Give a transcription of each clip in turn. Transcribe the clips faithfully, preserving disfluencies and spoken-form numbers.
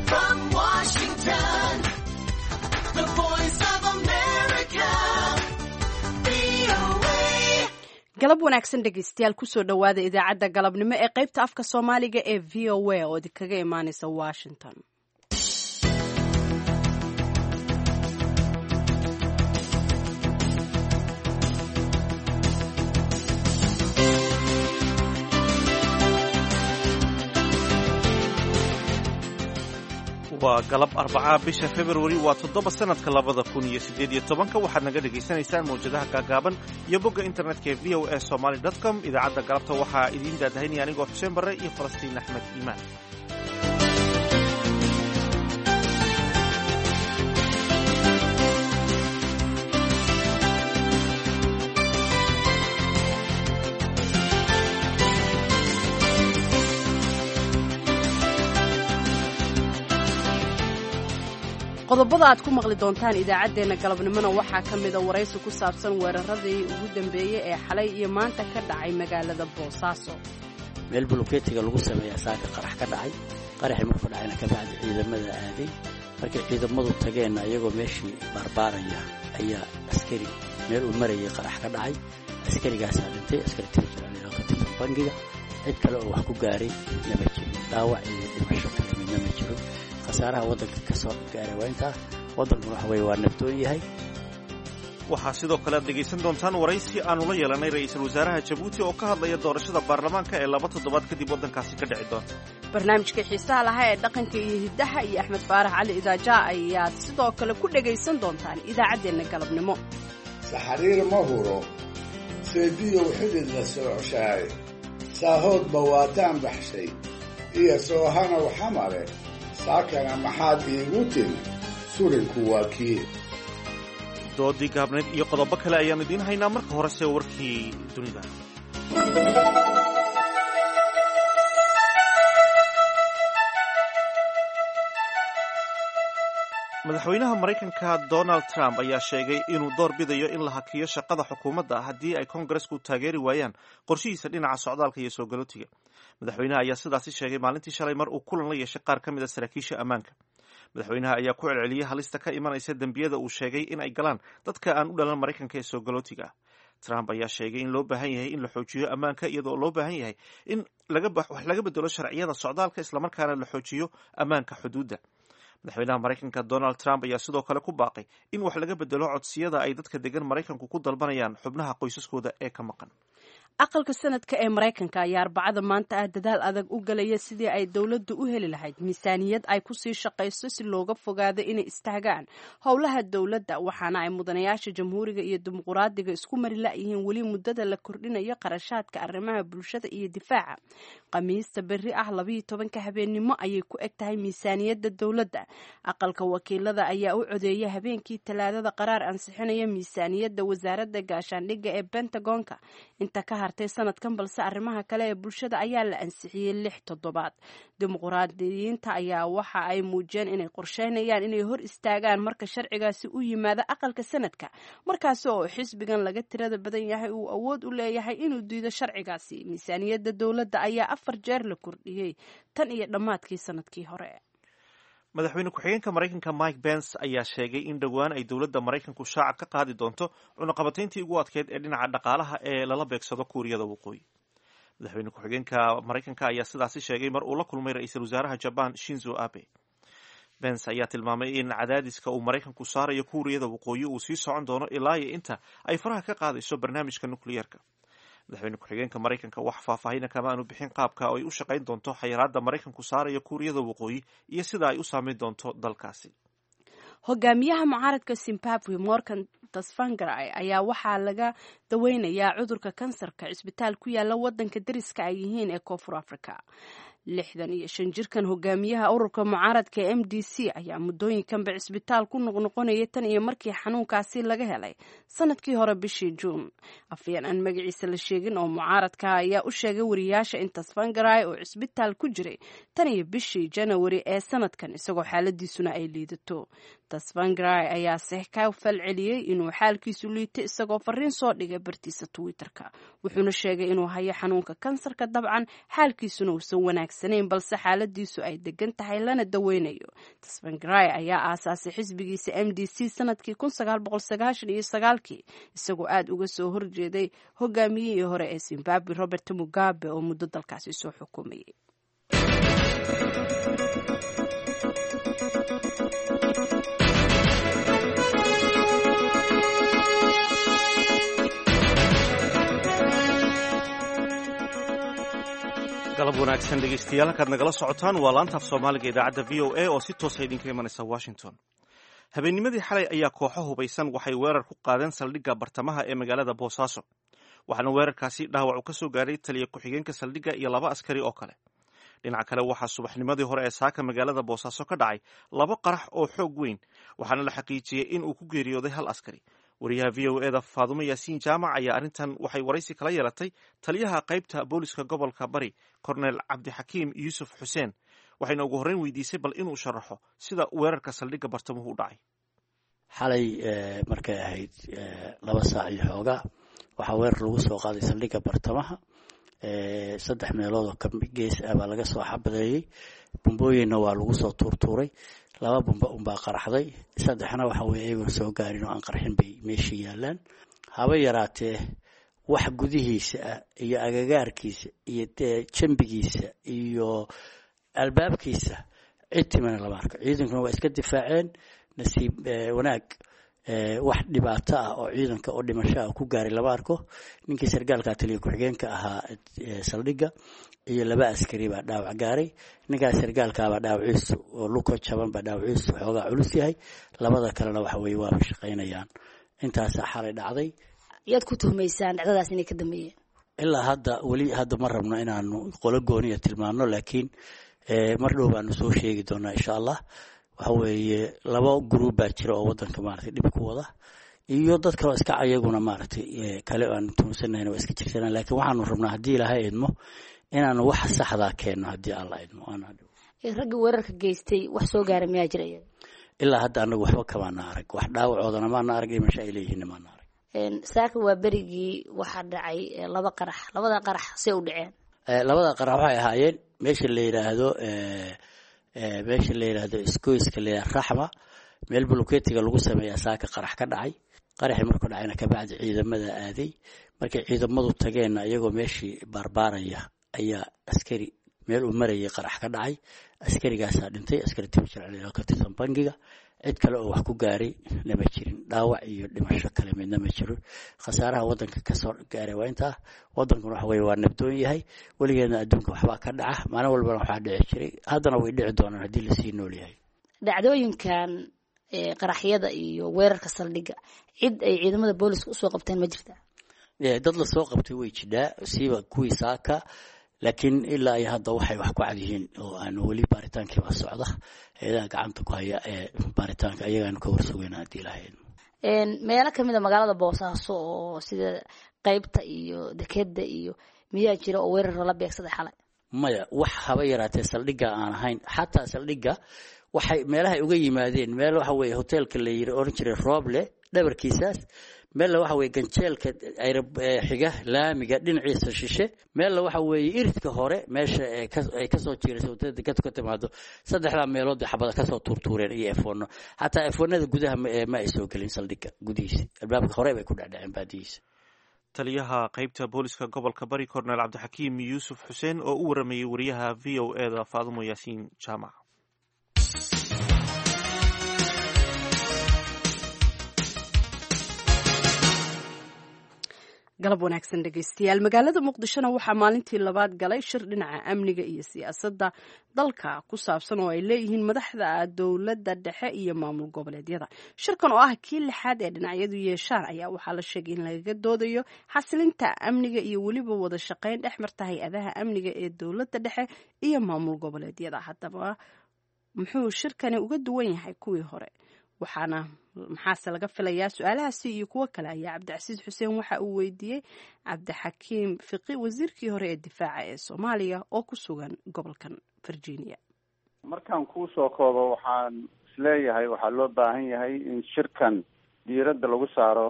From Washington, the voice of America, V O A. Galab wanaagsan, dhegeystayaal. Kusoo dhowaada idaacadda galabnimo ee qaybta afka Soomaaliga ee V O A oo idinkaga imaaneysa Washington. Waa galab Arbacaa, bisha Februari waa toddoba, sanadka labada kun iyo siddeed iyo tobanka. Waxaad naga dhagaysanaysaan mawjadaha gaagaaban iyo bogga internetka ee V O A Somali com. Idaacadda galabta waxaa idiin daadahinaya anigoo Xuseen Barre iyo Falastiin Axmed Iimaan. Qodobada aad ku maqli doontaan idaacaddeenna galabnimona waxaa ka mida waraysi ku saabsan weeraradii ugu dambeeyey ee xalay iyo maanta ka dhacay magaalada Boosaaso. Meel buluketiga lagu sameeyaa saaka qarax ka dhacay. Qaraxii markuu dhacayna kabacdi ciidamada aaday. Markay ciidamadu tageenna, iyagoo meeshii baarbaaraya ayaa askari meel uu marayay qarax ka dhacay. Askarigaasaa dhintay, askari tirjiraan ka tirsan bangiga. Cid kale oo wax ku gaaray nama jirin, dhaawac iyo dhimasho kale midna ma jiro. Khasaaraha waddanka ka soo gaaray waa intaa. Waddankuna waxa weye waa nabdoon yahay. Waxaa sidoo kale aad dhegaysan doontaan waraysi aanu la yeelanay ra'iisul wasaaraha Jabuuti oo ka hadlaya doorashada baarlamaanka ee laba toddobaad kadib waddankaasi ka dhici doonta. Barnaamijka xiisaha lahaa ee dhaqanka iyo hiddaha iyo Axmed Faarax Cali Idaaja ayaad sidoo kale ku dhegaysan doontaan idaacaddeenna galabnimo. Saxariir ma huro, seediyow xidid la soocshaaye, saahoodba waataan baxshay iyo soohanow xamale. Saakana maxaad iigu timi? Surinku waa kii. Doodii gaabnayd iyo qodobo kale ayaannu idiin haynaa. Marka horese warkii dunida. Madaxweynaha Maraykanka Donald Trump ayaa sheegay inuu door bidayo in la hakiyo shaqada xukuumadda haddii ay Kongaresku taageeri waayaan qorshihiisa dhinaca socdaalka iyo soo galootiga. Madaxweynaha ayaa sidaasi sheegay maalintii shalay mar uu kulan la yeeshay qaar ka mid a saraakiisha ammaanka. Madaxweynaha ayaa ku celceliyey halista ka imanaysa dembiyada uu sheegay in ay galaan dadka aan u dhalan Maraykanka ee soo galootiga ah. Trump ayaa sheegay in loo baahan yahay in la xoojiyo ammaanka, iyadoo loo baahan yahay in wax laga bedelo sharciyada socdaalka, islamarkaana la xoojiyo ammaanka xuduudda. Madaxweynaha Maraykanka Donald Trump ayaa sidoo kale ku baaqay in wax laga bedelo codsiyada ay dadka degan Maraykanku ku dalbanayaan xubnaha qoysaskooda ee ka maqan. Aqalka Sanadka ee Maraykanka ayaa Arbacada maanta ah dadaal adag u galaya sidii ay dowladdu u heli lahayd miisaaniyad ay kusii shaqayso, si looga fogaado inay istaagaan howlaha dowladda. Waxaana ay mudanayaasha Jamhuuriga iyo Dimuquraadiga isku mari la'yihiin weli muddada la kordhinayo qarashaadka arrimaha bulshada iyo difaaca. Khamiista berri ah labayo tobanka habeennimo ayay ku eg tahay miisaaniyadda dowladda. Aqalka Wakiilada ayaa u codeeyay habeenkii Talaadada qaraar ansixinaya miisaaniyadda wasaaradda gaashaandhigga ee Pentagonka inta ka hartay sanadkan, balse arrimaha kale ee bulshada ayaa la ansixiyey lix toddobaad. Dimuqraadiyiinta ayaa waxa ay muujiyeen inay qorsheynayaan inay hor istaagaan marka sharcigaasi u yimaado aqalka Sanadka, markaasi oo xisbigan laga tirada badan yahay uu awood u leeyahay inuu diido sharcigaasi. Miisaaniyadda dowladda ayaa afar jeer la kordhiyey tan iyo dhammaadkii sanadkii hore. Madaxweyne ku-xigeenka Maraykanka Mike Pence ayaa sheegay in dhowaan ay dowladda Maraykanku shaaca ka qaadi doonto cunaqabatayntii ugu adkeyd ee dhinaca dhaqaalaha ee lala beegsado Kuuriyada Waqooyi. Madaxweyne ku-xigeenka Maraykanka ayaa sidaasi sheegay mar uu la kulmay ra'iisul wasaaraha Jaban Shinzo Abe. Pence ayaa tilmaamay in cadaadiska uu Maraykanku saarayo Kuuriyada Waqooyi uu sii socon doono ilaa iyo inta ay faraha ka qaadayso barnaamijka nukliyeerka. Madaxweyne ku-xigeenka Maraykanka wax faahfaahina kama aanu bixin qaabka oo ay u shaqayn doonto xayiraadda Maraykanku saarayo Kuuriyada Waqooyi iyo sida ay u saameyn doonto dalkaasi. Hogaamiyaha mucaaradka Zimbabwe Morgan Tsvangirai ayaa waxaa laga daweynayaa cudurka kansarka cisbitaal ku yaala wadanka dariska ay yihiin ee Koonfur Africa. Lixdan iyo shan jirkan hogaamiyaha ururka mucaaradka M D C ayaa muddooyinkanba cisbitaal ku noqnoqonaya tan iyo markii xanuunkaasi laga helay sanadkii hore bishii Juun. Afyeen aan magaciisa la sheegin oo mucaaradka ayaa u sheegay wariyaasha in Tsvangirai oo cisbitaal ku jiray tan iyo bishii Janawari ee sanadkan, isagoo xaaladiisuna ay liidato. Tsvangirai ayaa se ka falceliyey inuu xaalkiisu liito, isagoo fariin soo dhigay bartiisa Twitterka, wuxuuna sheegay inuu hayo xanuunka kansarka, dabcan xaalkiisuna uusan wanaagsan. wanaagsanayn, balse xaaladiisu ay degan tahay lana daweynayo. Tsvangirai ayaa aasaasay xisbigiisa M D C sanadkii kun sagaal boqol sagaashan iyo sagaalkii, isagoo aada uga soo horjeeday hogaamiyihii hore ee Zimbabwe Robert Mugabe oo muddo dalkaasi soo xukumayay. Galab wanaagsan dhegeystayaal, halkaad nagala socotaan waa laanta af Soomaaliga idaacadda V O A oo si toosa idinka imanaysa Washington. Habeennimadii xalay ayaa kooxo hubaysan waxay weerar ku qaadeen saldhigga bartamaha ee magaalada Boosaaso, waxaana weerarkaasi dhaawac uu ka soo gaaray taliya ku-xigeenka saldhigga iyo laba askari oo kale. Dhinaca kale, waxaa subaxnimadii hore ee saaka magaalada Boosaaso ka dhacay laba qarax oo xoog weyn, waxaana la xaqiijiyey in uu ku geeriyooday hal askari. Wariyaha V O E da Faadumo Yaasiin Jaamac ayaa arrintan waxay waraysi kala yeelatay taliyaha qaybta booliska gobolka Bari, Kornel Cabdixakiim Yuusuf Xuseen, waxayna ugu horreyn weydiisay bal inuu sharaxo sida weerarka saldhigga bartamuhu u dhacay. Xalay markay ahayd laba saac iyo xoogaa waxaa weerar lagu soo qaaday saldhigga bartamaha. Saddex meelood oo gees ah baa laga soo xabadeeyey, bumbooyinna waa lagu soo tuurtuuray. Laba bumba unbaa qaraxday, saddexna waxa weye iyagoon soo gaarin oo aan qarxin bay meesha yaalaan. Haba yaraatee wax gudihiisa ah iyo agagaarkiisa iyo jambigiisa iyo albaabkiisa cid timana lama arko. Ciidankuna waa iska difaaceen. Nasiib wanaag wax dhibaato ah oo ciidanka oo dhimasho ah ku gaaray lama arko. Ninkii sargaalka taliya ku-xigeenka ahaa saldhigga iyo laba askari baa dhaawac gaaray. Ninkaas sargaalkaabaa dhaawaciisu oo luko jaban baa dhaawaciisu xoogaa culus yahay. Labada kalena waxa weeye waaba shaqaynayaan. Intaasaa xalay dhacday. Yaad ku tuhmaysaan dhacdadaas inay ka dambeeyeen? Ilaa hadda weli hadda ma rabno inaanu qolo gooniya tilmaano, laakiin mar dhow baanu soo sheegi doonaa insha Allah. Waxa weeye laba group baa jira oo wadanka maaragtay dhib ku wada, iyo dad kaloo iska ayaguna maaragtay kale aan tuhunsanahayna waa iska jirsanaa. Laakiin waxaanu rabnaa haddii Ilaahay idmo inaanu wax saxdaa keenno haddii Alla idmo. Ragga weerarka geystay wax soo gaara miyaa jira iyaga? Ilaa hadda anagu waxba kamaana arag, wax dhaawacoodana maana arag, dhimasho ay leeyihiinna maana arag. Saaka waa berigii waxaa dhacay laba qarax. Labada qarax see u dhaceen? Labada qarax waxay ahaayeen meesha la yidhaahdo meesha la yidhaahdo iskoyska la yidhahdo Raxma, meel buluketiga lagu sameeyaa saaka qarax ka dhacay. Qaraxii markuu dhacayna kabacdi ciidamada aaday. Markay ciidamadu tageenna iyagoo meeshii baarbaaraya ayaa askari meel uu marayay qarax ka dhacay. Askarigaasaa dhintay, askari timo jecel ka tirsan bangiga. Cid kale oo wax ku gaaray nama jirin, dhaawac iyo dhimasho kale midna ma jiro. Khasaaraha wadanka kasoo gaaray waa intaa. Wadankuna waxa weye waa nabdoon yahay, weligeedna adduunka waxbaa ka dhaca, maalin walbana waxaa dhici jiray, haddana way dhici doonaan haddii lasii nool yahay. Dhacdooyinkan qaraxyada iyo weerarka saldhigga cid ay ciidamada booliska usoo qabteen ma jirtaa? Dad lasoo qabtay way jidhaa, siiba kuwii saaka, laakiin ilaa iyo hadda waxay wax ku cad yihiin oo aan weli baaritaankiiba socda. Hay-adaha gacanta ku haya ee baaritaanka ayagaanu ka warsugayna haddii Ilaahay idmo. Meelo kamid a magaalada Boosaaso oo sida qeybta iyo dekeda iyo miyaa jira oo weerar lala beegsaday xalay? Maya, wax haba yaraatee saldhigga aan ahayn. Xataa saldhigga waxay meelahay uga yimaadeen, meel waxa weeye hoteelka la yiri oran jiray Rooble dhabarkiisaas, meelna waxa weeye ganjeelka xiga laamiga dhinaciisa shishe, meelna waxa weeye iridka hore meesha ay kasoo jiirayso wadada dekadu ka timaado. Saddexdaa meelood bay xabada kasoo tuurtuureen iyo efoonno. Xataa efoonada gudaha ma ay soo gelin saldhigga gudihiisa, albaabka hore bay ku dhecdheceen baadihiisa. Taliyaha qaybta booliska gobolka Bari, Kornel Cabdixakiim Yuusuf Xuseen, oo u waramayey wariyaha V O E da Faadumo Yaasiin Jaamac. Galab wanaagsan dhegeystayaal. Magaalada Muqdishona waxaa maalintii labaad galay shir dhinaca amniga iyo siyaasadda dalka ku saabsan oo ay leeyihiin madaxda dowladda dhexe iyo maamul goboleedyada. Shirkan oo ah kii lixaad ee dhinacyadu yeeshaan ayaa waxaa la sheegay in lagaga doodayo xasilinta amniga iyo weliba wada shaqayn dhex marta hay-adaha amniga ee dowladda dhexe iyo maamul goboleedyada. Haddaba muxuu shirkani uga duwan yahay kuwii hore, waxaana maxaase laga filayaa? Su-aalahaasi iyo kuwo kale ayaa Cabdicasiis Xuseen waxa uu weydiiyey Cabdixakiim Fiqi, wasiirkii hore ee difaaca ee Soomaaliya oo ku sugan gobolkan Virginia. Markaan kuusoo koobo, waxaan isleeyahay waxaa loo baahan yahay in shirkan diiradda lagu saaro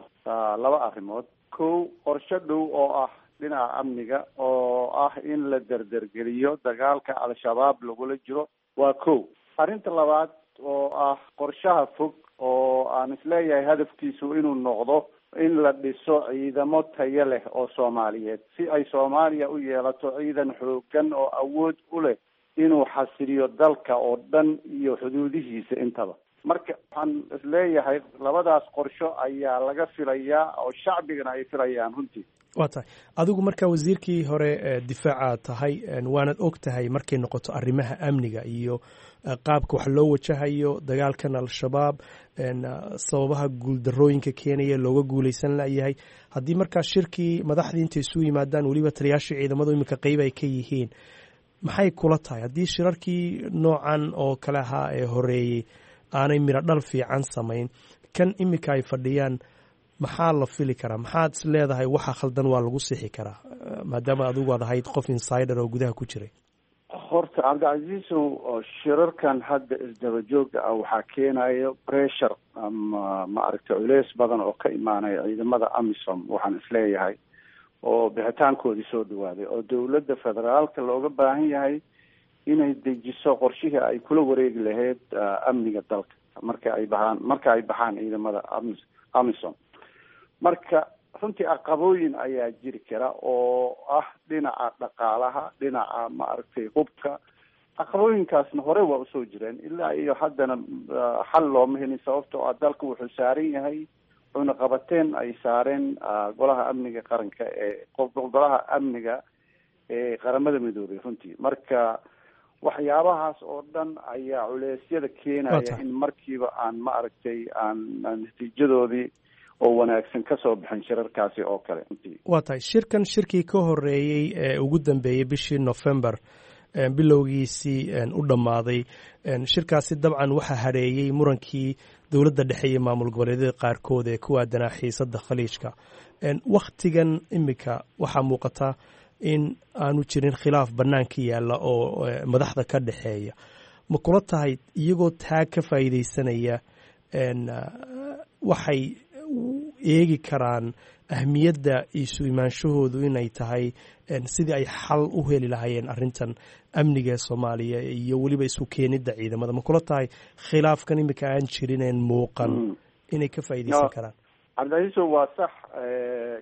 laba arrimood. Kow, qorshe dhow oo ah dhinaca amniga oo oo ah in la derdergeliyo dagaalka Al-Shabaab lagula jiro, waa kow. Arrinta labaad oo ah qorshaha fog oo aan isleeyahay hadafkiisu inuu noqdo in la dhiso ciidamo tayo leh oo Soomaaliyeed, si ay Soomaaliya u yeelato ciidan xooggan oo awood u leh inuu xasiliyo dalka oo dhan iyo xuduudihiisa intaba. Marka waxaan isleeyahay labadaas qorsho ayaa laga filayaa oo shacbigana ay filayaan runtii. Waa tahay. Adigu marka wasiirkii hore difaaca tahay, waanad og tahay markay noqoto arrimaha amniga iyo qaabka wax loo wajahayo dagaalkan Al-Shabaab, sababaha guuldarooyinka keenaya looga guuleysan layahay. Haddii markaa shirkii madaxdii intay isu yimaadaan, weliba taliyaashii ciidamadu iminka qeyb ay ka yihiin, maxay kula tahay haddii shirarkii noocan oo kale ahaa ee horeeyey aanay miro dhal fiican samayn, kan iminka ay fadhiyaan maxaa la fili karaa? Maxaad is leedahay waxa khaldan waa lagu sixi karaa, maadaama adigu aad ahayd qof insider oo gudaha ku jiray? Horta Cabdicasiisow, shirarkan hadda isdaba jooga ah waxaa keenayo pressure ama maaragtay culeys badan oo ka imaanaya ciidamada AMISOM, waxaan isleeyahay oo bixitaankoodii soo dhawaaday, oo dowladda federaalka looga baahan yahay inay dejiso qorshihii ay kula wareegi lahayd amniga dalka marka ay baxaan marka ay baxaan ciidamada AMISOM. Marka runtii aqabooyin ayaa jiri kara oo ah dhinaca dhaqaalaha, dhinaca maaragtay hubka. Aqabooyinkaasna hore waa usoo jireen, ilaa iyo haddana xal looma helin, sababtoo ah dalka wuxuu saaran yahay cunaqabateen ay saareen Golaha Amniga Qaranka ee Golaha Amniga ee Qaramada Midoobay runtii. Marka waxyaabahaas oo dhan ayaa culeysyada keenaya in markiiba aan maaragtay aan natiijadoodii oo wanaagsan kasoo bixin shirarkaasi oo kale. Waa tahay. Shirkan shirkii ka horeeyey ee ugu dambeeyey bishii November bilowgiisii u dhammaaday, shirkaasi dabcan waxaa hadheeyey murankii dowladda dhexe iyo maamul goboleedyada qaarkood ee ku aadanaa xiisadda Khaliijka. Wakhtigan iminka waxaa muuqata in aanu jirin khilaaf bannaanka yaalla oo madaxda ka dhexeeya. Ma kula tahay iyagoo taag ka faa'iidaysanaya waxay eegi karaan ahmiyadda isu imaanshahoodu inay tahay sidii ay xal u heli lahaayeen arrintan amniga ee Soomaaliya iyo weliba isu keenidda ciidamada? Ma kula tahay khilaafkan iminka aan jirineen muuqan inay ka faa'iidaysan karaan? Cabdicasiiso, waa sax.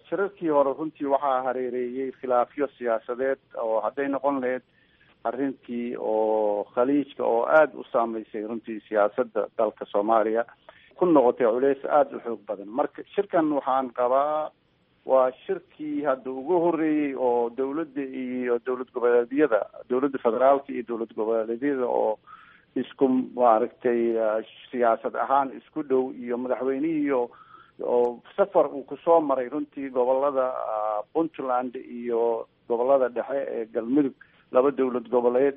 Shirarkii hore runtii waxaa hareereeyey khilaafyo siyaasadeed oo hadday noqon lahayd arrintii oo Khaliijka oo aada u saameysay runtii siyaasadda dalka Soomaaliya, ku noqotay culeys aada u xoog badan. Marka shirkan waxaan qabaa waa shirkii hadda ugu horreeyey oo dowladda iyo dowlad goboleedyada, dowladda federaalka iyo dowlad goboleedyada oo isku maaragtay siyaasad ahaan isku dhow, iyo madaxweynihiiyo oo safar uu kusoo maray runtii gobolada Puntland iyo gobolada dhexe ee Galmudug, laba dowlad goboleed,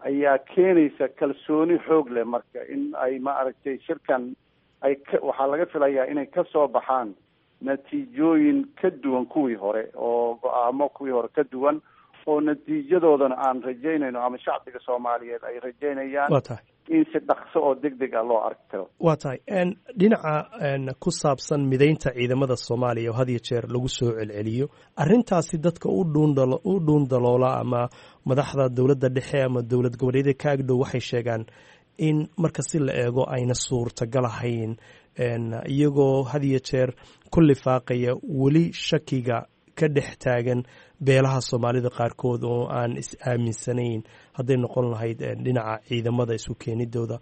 ayaa keenaysa kalsooni xoog leh. Marka in ay maaragtay shirkan ay ka waxaa laga filayaa inay kasoo baxaan natiijooyin ka duwan kuwii hore, oo go-aamo kuwii hore ka duwan, oo natiijadoodana aan rajaynayno ama shacbiga Soomaaliyeed ay rajaynayaan Waa tahay. in si dhaqso oo deg deg ah loo arki karo. Waa tahay. Dhinaca ku saabsan mideynta ciidamada Soomaaliya oo had iyo jeer lagu soo celceliyo arrintaasi, dadka u dhuundalo u dhuundaloola ama madaxda dowladda dhexe ama dowlad goboleedyada ka agdhow waxay sheegaan in marka si la eego ayna suurtagal ahayn, iyagoo had iyo jeer ku lifaaqaya weli shakiga ka dhex taagan beelaha Soomaalida qaarkood oo aan is aaminsanayn hadday noqon lahayd dhinaca ciidamada isu keenidooda.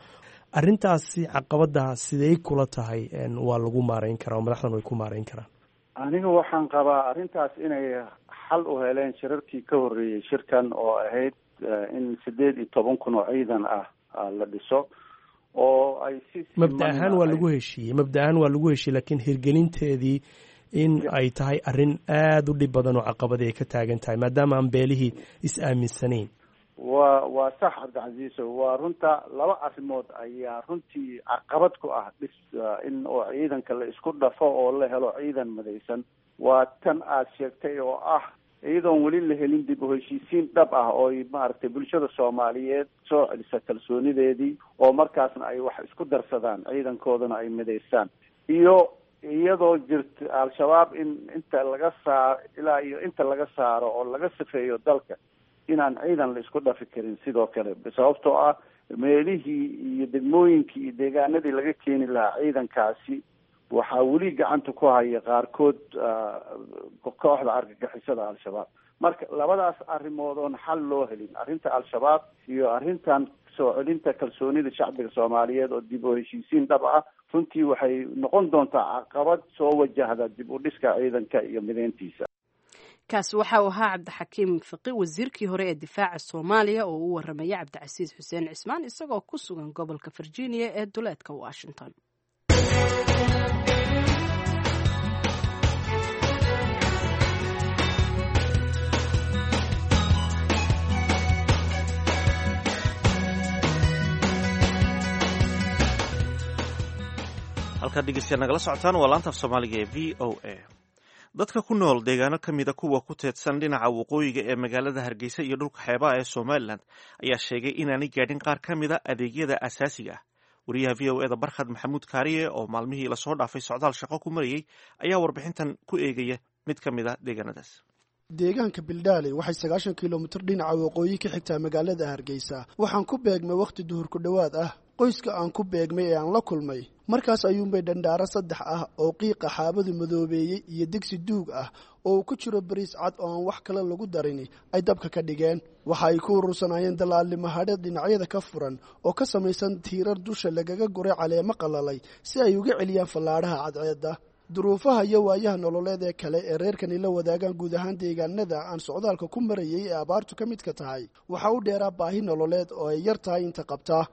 Arrintaasi caqabadaha sidey kula tahay waa lagu maareyn karaa oo madaxdan way ku maareyn karaan? Aniga waxaan qabaa arrintaas inay xal u heleen shirarkii ka horreeyey shirkan, oo ahayd in sideed iyo toban kun oo ciidan ah la dhiso oo ay si Mabda ahaan waa lagu heshiiyey, mabda ahaan waa lagu heshiiyey, laakiin hirgelinteedii in ay tahay arrin aada u dhib badan oo caqabadi ay ka taagan tahay maadaama aan beelihii is aaminsanayn. Waa waa sax, Cabdicasiiso, waa runta. Laba arrimood ayaa runtii caqabad ku ah dhis in oo ciidanka la isku dhafo oo la helo ciidan madaysan. Waa tan aad sheegtay oo ah iyadoon weli la helin dib u heshiisiin dhab ah oo maaragtay bulshada Soomaaliyeed soo celisa kalsoonideedii, oo markaasna ay wax isku darsadaan, ciidankoodana ay midaystaan, iyo Iyadoo jirta Al-Shabaab in inta laga saaro ilaa iyo inta laga saaro oo laga sifeeyo dalka, inaan ciidan la isku dhafi karin sidoo kale, sababtoo ah meelihii iyo degmooyinkii iyo deegaanadii laga keeni lahaa ciidankaasi waxaa weli gacanta ku haya qaarkood kooxda argagixisada Al-Shabaab. Marka labadaas arrimood oon xal loo helin, arrinta Al-Shabaab iyo arrintan soo celinta kalsoonida shacbiga Soomaaliyeed oo dib u heshiisiin dhab ah, runtii waxay noqon doontaa caqabad soo wajahda dib u dhiska ciidanka iyo mideyntiisa. Kaasi waxa uu ahaa Cabdixakiim Fiqi, wasiirkii hore ee difaaca Soomaaliya, oo u waramaya Cabdicasiis Xuseen Cismaan isagoo ku sugan gobolka Virginia ee duleedka Washington. Halkaad dhegeystayaal nagala socotaan waa laanta af Soomaaliga ee V O A. Dadka ku nool deegaano ka mida kuwa ku teedsan dhinaca waqooyiga ee magaalada Hargeysa iyo dhulka xeebaha ee Somalilan ayaa sheegay inaanay gaadhin qaar ka mida adeegyada asaasiga ah. Wariyaha V O E da Barkhad Maxamuud Kaariye oo maalmihii lasoo dhaafay socdaal shaqo ku marayey ayaa warbixintan ku eegaya mid ka mid a deegaanadaas. Deegaanka Bildaaley waxay sagaashan kilomitir dhinaca waqooyi ka xigtaa magaalada Hargeysa. Waxaan ku beegmay wakhti duhur ku dhowaad ah. Qoyska aan ku beegmay ee aan la kulmay markaas ayuunbay dhandhaaro saddex ah oo qiiqa xaabadu madoobeeyey iyo digsi duug ah oo uu ku jiro bariis cad oo aan wax kale lagu darin ay dabka ka dhigeen. Waxa ay ku urursanaayeen dalaalnimo hadhe dhinacyada ka furan oo ka samaysan tiirar dusha lagaga guray caleemo qalalay si ay uga celiyaan fallaadhaha cadceedda. Duruufaha iyo waayaha nololeed ee kale ee reerkani la wadaagaan guud ahaan deegaanada aan socdaalka ku marayay ee abaartu ka midka tahay waxaa u dheeraa baahi nololeed oo ay yar tahay inta qabtaa.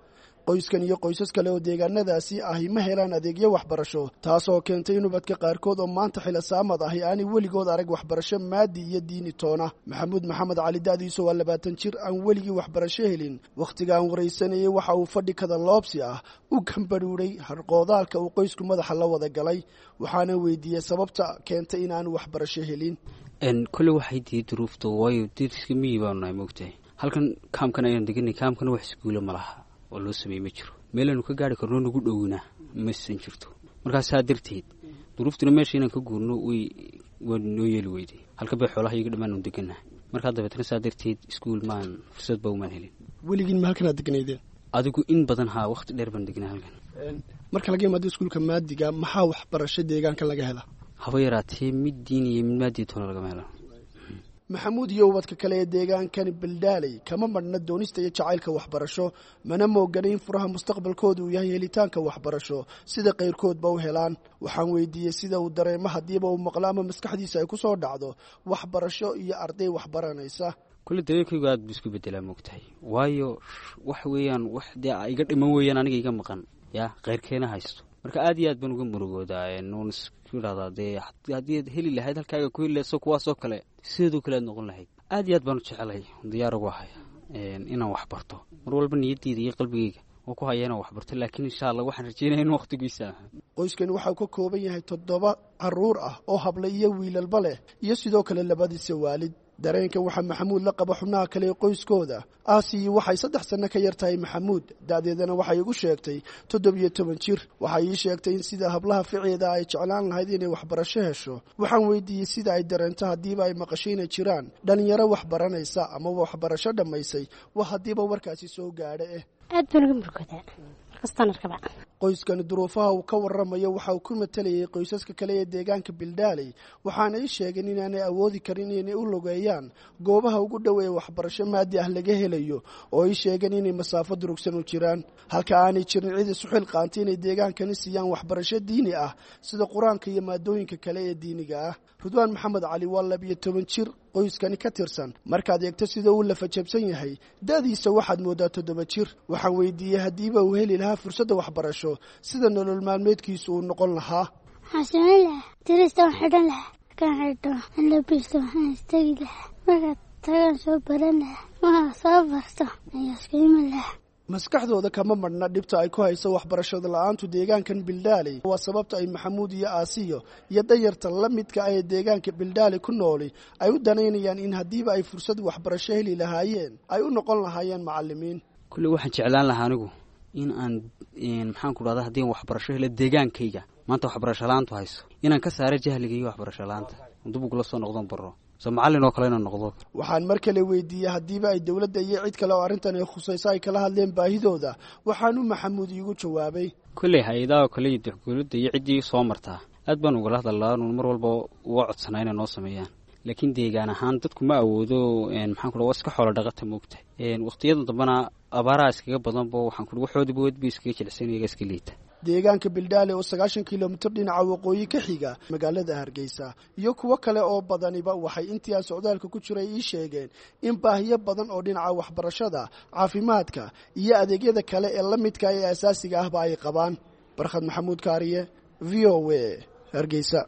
Qoyskan iyo qoysas kale oo deegaanadaasi ahi ma helaan adeegyo waxbarasho, taasoo keentay in ubadka qaarkood oo maanta xilasaamad ahi aanay weligood arag waxbarasho maadi iyo diini toona. Maxamuud Maxamed Cali da'diisu waa labaatan jir aan weligii waxbarasho helin. Wakhtiga aan waraysanayay waxa uu fadhi kada loobsi ah u gambadhuudhay harqoodaalka uu qoysku madaxa la wada galay. Waxaana weydiiyey sababta keentay in aanu waxbarasho helin. Kole waxay diiday duruufta, waayo dariska miyi baanu nahay, moogtahay. Halkan kaamkan ayaan deganay, kaamkana wax iskuula ma laha oo loo sameeyey ma jiro. Meelaanu ka gaari karno nagu dhowna masan jirto. Markaa saa darteed duruuftuna meesha inaan ka guurno way waa noo yeeli weyday. Halka bay xoolaha iyaga dhammaan nu degannahay. Markaa dabeetna saa darteed iskuul maan fursad ba umaan helin. Weligiin ma halkanaad deganaydeen? Adigu in badan haa, waqti dheer baan degnaa halkan. Marka laga yimaado iskuulka maadiga, maxaa waxbarasho deegaanka laga helaa? Haba yaraatee, mid diin iyo mid maadiya toona lagama helo. Maxamuud iyo ubadka kale ee deegaankani Bildaaley kama madhna doonista iyo jacaylka waxbarasho, mana moogana in furaha mustaqbalkooda uu yahay helitaanka waxbarasho sida qayrkoodba u helaan. Waxaan weydiiyey sida uu dareemo haddiiba uu maqlo ama maskaxdiisa ay ku soo dhacdo waxbarasho iyo arday waxbaranaysa. Kulle dareenkaygu aad buu isku bedelaa, moogtahay, waayo wax weeyaan wax dee iga dhiman weeyaan, aniga iga maqan yaa keyrkeena haysto. Marka aad iyo aad baan uga murugoodaa, nuun isku idhahdaa dee haddii aad heli lahayd halkaaga ku heli lahayd so kuwaasoo kale sideedoo kale aad noqon lahayd. Aad iyo aad baan u jecelay, diyaar ugu ahay inaan wax barto. Mar walba niyadeyda iyo qalbigayga oo ku haya inaan wax barto, laakiin insha Allah waxaan rajeynaya in waqtigiisa. Qoyskani waxauu ka kooban yahay toddoba caruur ah oo habla iyo wiilalba leh iyo sidoo kale labadiisa waalid. Dareenkan waxaa Maxamuud la qaba xubnaha kale ee qoyskooda. Aasiyi waxay saddex sanno ka yar tahay Maxamuud, da'deedana waxay igu sheegtay toddobiyo toban jir. Waxay ii sheegtay in sida hablaha ficeeda ay jeclaan lahayd inay waxbarasho hesho. Waxaan weydiiyey sida ay dareento haddiiba ay maqasho inay jiraan dhallinyaro wax baranaysa ama waxbarasho dhammaysay, wa haddiiba warkaasi soo gaadha eh. Aad baan uga murugoodaa markastaan arkaba. Qoyskani duruufaha uu ka warramayo waxa uu ku matalayay qoysaska kale ee deegaanka Bildaaley. Waxaana ii sheegeen inaanay awoodi karin inay u logeeyaan goobaha ugu dhow ee waxbarasho maadi ah laga helayo, oo ii sheegeen inay masaafo durugsan u jiraan, halka aanay jirin cid isu xilqaantay inay deegaankani siiyaan waxbarasho diini ah sida Qur-aanka iyo maadooyinka kale ee diiniga ah. Ridwaan Maxamed Cali waa labiyo toban jir qoyskani ka tirsan. Markaad eegto sida uu lafajabsan yahay, da'diisa waxaad mooddaa toddoba jir. Waxaan weydiiyey haddiiba uu heli lahaa fursadda waxbarasho sida nolol maalmeedkiisu uu noqon lahaa. Waxaan samayn lahaa dirista, waan xidhan lahaa, markaan xidho aan labisto, waxaan istagi lahaa, markaad tagaan soo baran lahaa, markaan soo barto ayaa iska iman lahaa. Maskaxdooda kama madhna dhibta ay ku hayso waxbarashada la-aantu deegaankan Bildaaley. Waa sababta ay Maxamuud iyo Aasiyo iyo dayarta la midka ah ee deegaanka Bildaaley ku nooli ay u danaynayaan in haddiiba ay fursad waxbarasho heli lahaayeen ay u noqon lahaayeen macallimiin. Kulle waxaan jeclaan lahaa anigu in aan maxaan ku dhahda haddii aan waxbarasho helo deegaankayga Maanta waxbarasho la-aantu hayso inaan ka saaro jahliga iyo waxbarasho la-aanta dib ugula soo noqdon baro soo macallin oo kale inaan noqdo. Waxaan mar kale weydiiyey haddiiba ay dowladda iyo cid kale oo arrintan ay khusayso ay kala hadleen baahidooda, waxaanu Maxamuud iigu jawaabay: Kolley hay-adaha oo kale iyo dowladda iyo ciddii soo martaa aad baan ugala hadalnaa, nuun mar walba uga codsanaa inay noo sameeyaan, laakiin deegaan ahaan dadku ma awoodo. Maxaan ku waa iska xoolo dhaqata moogta, waqtiyadan dambena abaaraha iskaga badanbo, waxaan ku waxoodiba weed bay iskaga jilicsan, iyaga iska liita. Deegaanka Bildhaale oo sagaashan kilomitir dhinaca waqooyi ka xiga magaalada Hargeysa iyo kuwo kale oo badaniba waxay intii aan socdaalka ku jiray ii sheegeen in baahiyo badan oo dhinaca waxbarashada, caafimaadka iyo adeegyada kale ee la midka ee asaasiga ahba ay qabaan. Barkhad Maxamuud Kaariye, V O A, Hargeysa.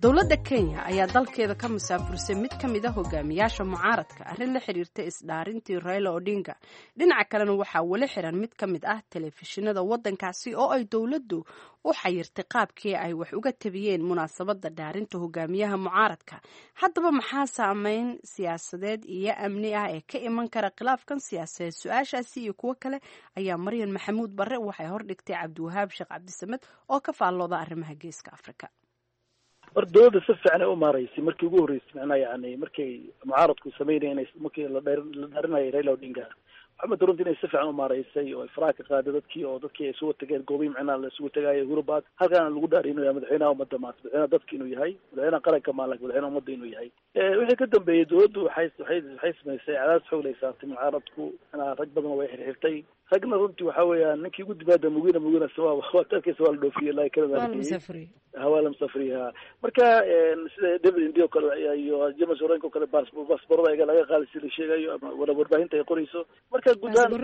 Dowladda Kenya ayaa dalkeeda ka musaafursay mid ka mid a hogaamiyaasha mucaaradka arrin la xiriirta isdhaarintii Raila Odinga. Dhinaca kalena waxaa weli xiran mid ka mid ah telefishinada waddankaasi oo ay dowladdu u xayirtay qaabkii ay wax uga tabiyeen munaasabadda dhaarinta hogaamiyaha mucaaradka. Haddaba maxaa saameyn siyaasadeed iyo amni ah ee ka iman kara khilaafkan siyaasadeed? Su-aashaasi iyo kuwo kale ayaa Maryan Maxamuud Barre waxay hordhigtay Cabdiwahaab Sheekh Cabdisamed oo ka faallooda arrimaha Geeska Afrika. Horta dowladda si fiican ay u maaraysay markii ugu horreysay, macnaha yani markay mucaaradku sameynaya inay markii la dheer la dhaarinayay Raila Odinga, waxaa runtii inay si fiican u maaraysay oo ay faraha ka qaaday dadkii oo dadkii ay isugu tageen goobihi macnaha la isugu tagaayo Uhuru Park, halkaana lagu dhaariy inuu yahay madaxweynaha ummadda maanta, madaxweynaha dadka inuu yahay, madaxweynaha qaranka maala, madaxweynaha ummadda inuu yahay. Wixii ka dambeeyey dowladdu waxay waxay waxay samaysay cadaadis xoog lay saartay mucaaradku, macnaha rag badan way xirxirtay, ragna runtii waxa weeyaan ninkii ugu dibaada Mugina Mugina waa waad arkaysa waa la dhoofiyey ilaa Canada waa la musafriyey. Marka sida David Indi oo kale iyo James Orengo oo kale baasaboorada ayaga laga qaaday si la sheegayo ama wala warbaahinta ay qorayso. Marka guud ahaan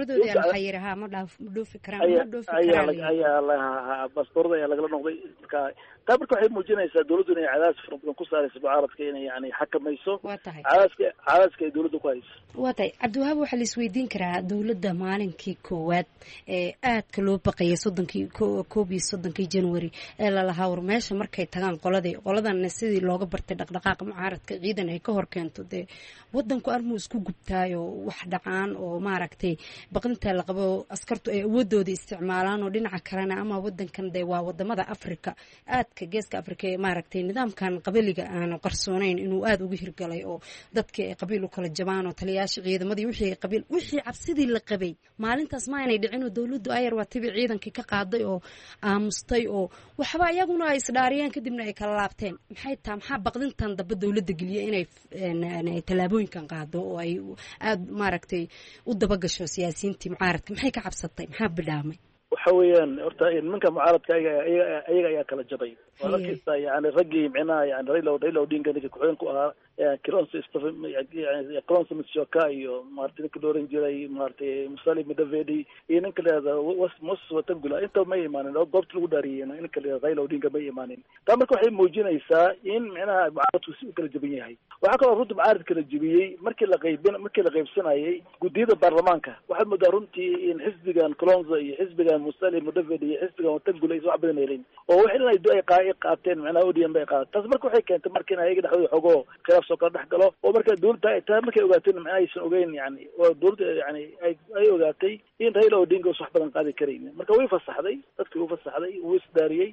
ayaa ayaa baasaboorada ayaa lagala noqday. Marka taa marka waxay muujinaysaa dowladdu inay cadaadis fara badan ku saarayso mucaaradka inay yani xakamayso cadaadiska cadaadiska ay dowladdu ku hayso. Waa tahay Cabdiwahaab, waxaa la isweydiin karaa dowladda maalinkii koowaad ee aadka loo baqayay soddonkii koob iyo soddonkii January ee lalahaa war meesha markay tagaan qoladii qoladanna sidii looga bartay dhaqdhaqaaqa mucaaradka ciidan ay ka hor keento, dee wadanku armuu isku gubtaayo wax dhacaan oo maaragtay baqdinta la qabo askartu ay awoodooda isticmaalaan oo dhinaca kalena ama wadankan dee waa wadamada Afrika aadka Geeska Afrika ee maaragtay nidaamkan qabiliga aanu qarsoonayn inuu aada uga hirgalay oo dadkii ay qabiil u kala jabaan oo taliyayaasha ciidamadii wixii qabiil wixii cabsidii la qabay maalintaas ma aynay dhicin oo dowladdu ayar waa tibi ciidankii ka qaaday oo aamustay oo waxba iyaguna ay isdhaariyeen kadibna ay kala laabteen. Maxay taa maxaa baqdintan damba dowladda geliya inay tallaabooyinkan qaado oo ay aada maaragtay u dabagasho siyaasiyiintii mucaaradka? Maxay ka cabsatay? Maxaa bidhaamay? Waxa weeyaan horta nimanka mucaaradka ayaga ayaga ayaga ayaa kala jabay. Waa arkaysa yani raggii micnaha yani Raila Raila Odinga ninka ku-xigeen ku ahaa Kalonzo Kalonzo Musyoka iyo maaragtay ninka la oran jiray maaragtay Musalia Mudavadi iyo ninka la yihahdo Moses Wetangula inta ma imaanin oo goobta lagu dhaariyey ninka la yihahdo Raila Odinga ma imaanin. Taa marka waxay muujinaysaa in micnaha mucaaradku si u kala jaban yahay. Waxaa kaloo runtii mucaaradka la jebiyey markii la qaybin markii la qaybsanayay guddiyada baarlamaanka. Waxaad moodaa runtii in xisbigan Kalonzo iyo xisbigan Musalia Mudavadi iyo xisbigan Wetangula aysan wax badan helin oo wax in ay ay qaateen micnaha O D M bay qaateen. Taas marka waxay keentay marka in ayaga dhexdooda xogoo khilaaf soo kala dhex galo oo marka dowladda taa markay ogaateen macnaha aysan ogeyn yani oo dowladda yani ay ay ogaatay in Raila Odinga uusan wax badan qaadi karaynin. Marka way fasaxday dadkii wuu fasaxday, wuu isdaariyey,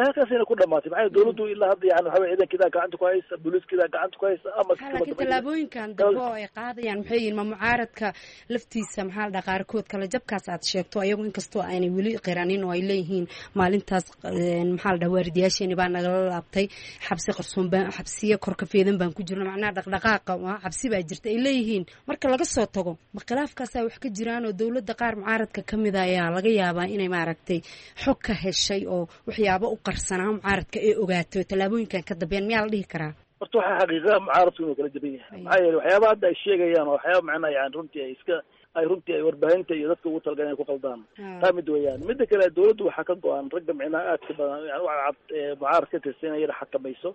halkaasayna ku dhamaatay. Maxaa dowladdu ilaa hadda yani waxa weye ciidankeeda gacanta ku haysa, booliiskeeda gacanta ku haysa ama laakiin tallaabooyinkan dambe oo ay qaadayaan maxay yihiin? Ma mucaaradka laftiisa maxaa la dhaha qaarkood kala jabkaas aad sheegto ayagu inkastoo aanay weli qiranin oo ay leeyihiin maalintaas maxaa la dhaha waaridiyaasheeni baa nagala laabtay, xabsi qarsoon baan xabsiya kor ka feedan baan ku jirna, macnaha dhaqdhaqaaqa cabsi baa jirta ay leeyihiin. Marka laga soo tago ma khilaafkaasaa wax ka jiraan oo dowladda qaar mucaaradka ka mida ayaa laga yaabaa inay maaragtay xog ka heshay oo waxyaabo u qarsanaa mucaaradka ay ogaato tallaabooyinkan ka dambeeyaan, miyaa la dhihi karaa? Horta waxaa xaqiiqa mucaaradku inuu kala jaban yahay. Maxaa yeelay waxyaabaha hadda ay sheegayaan oo waxyaaba macnaha yani runtii ay iska Ay runtii ay warbaahinta iyo dadka ugu talagaleen inay ku qaldaan. Taa mid weeyaan. Midda kale, dawladdu waxaa ka go-an ragga micnaha aadka badan, yani u cadcad ee mucaaradka ka tirsan, inay yara xakamayso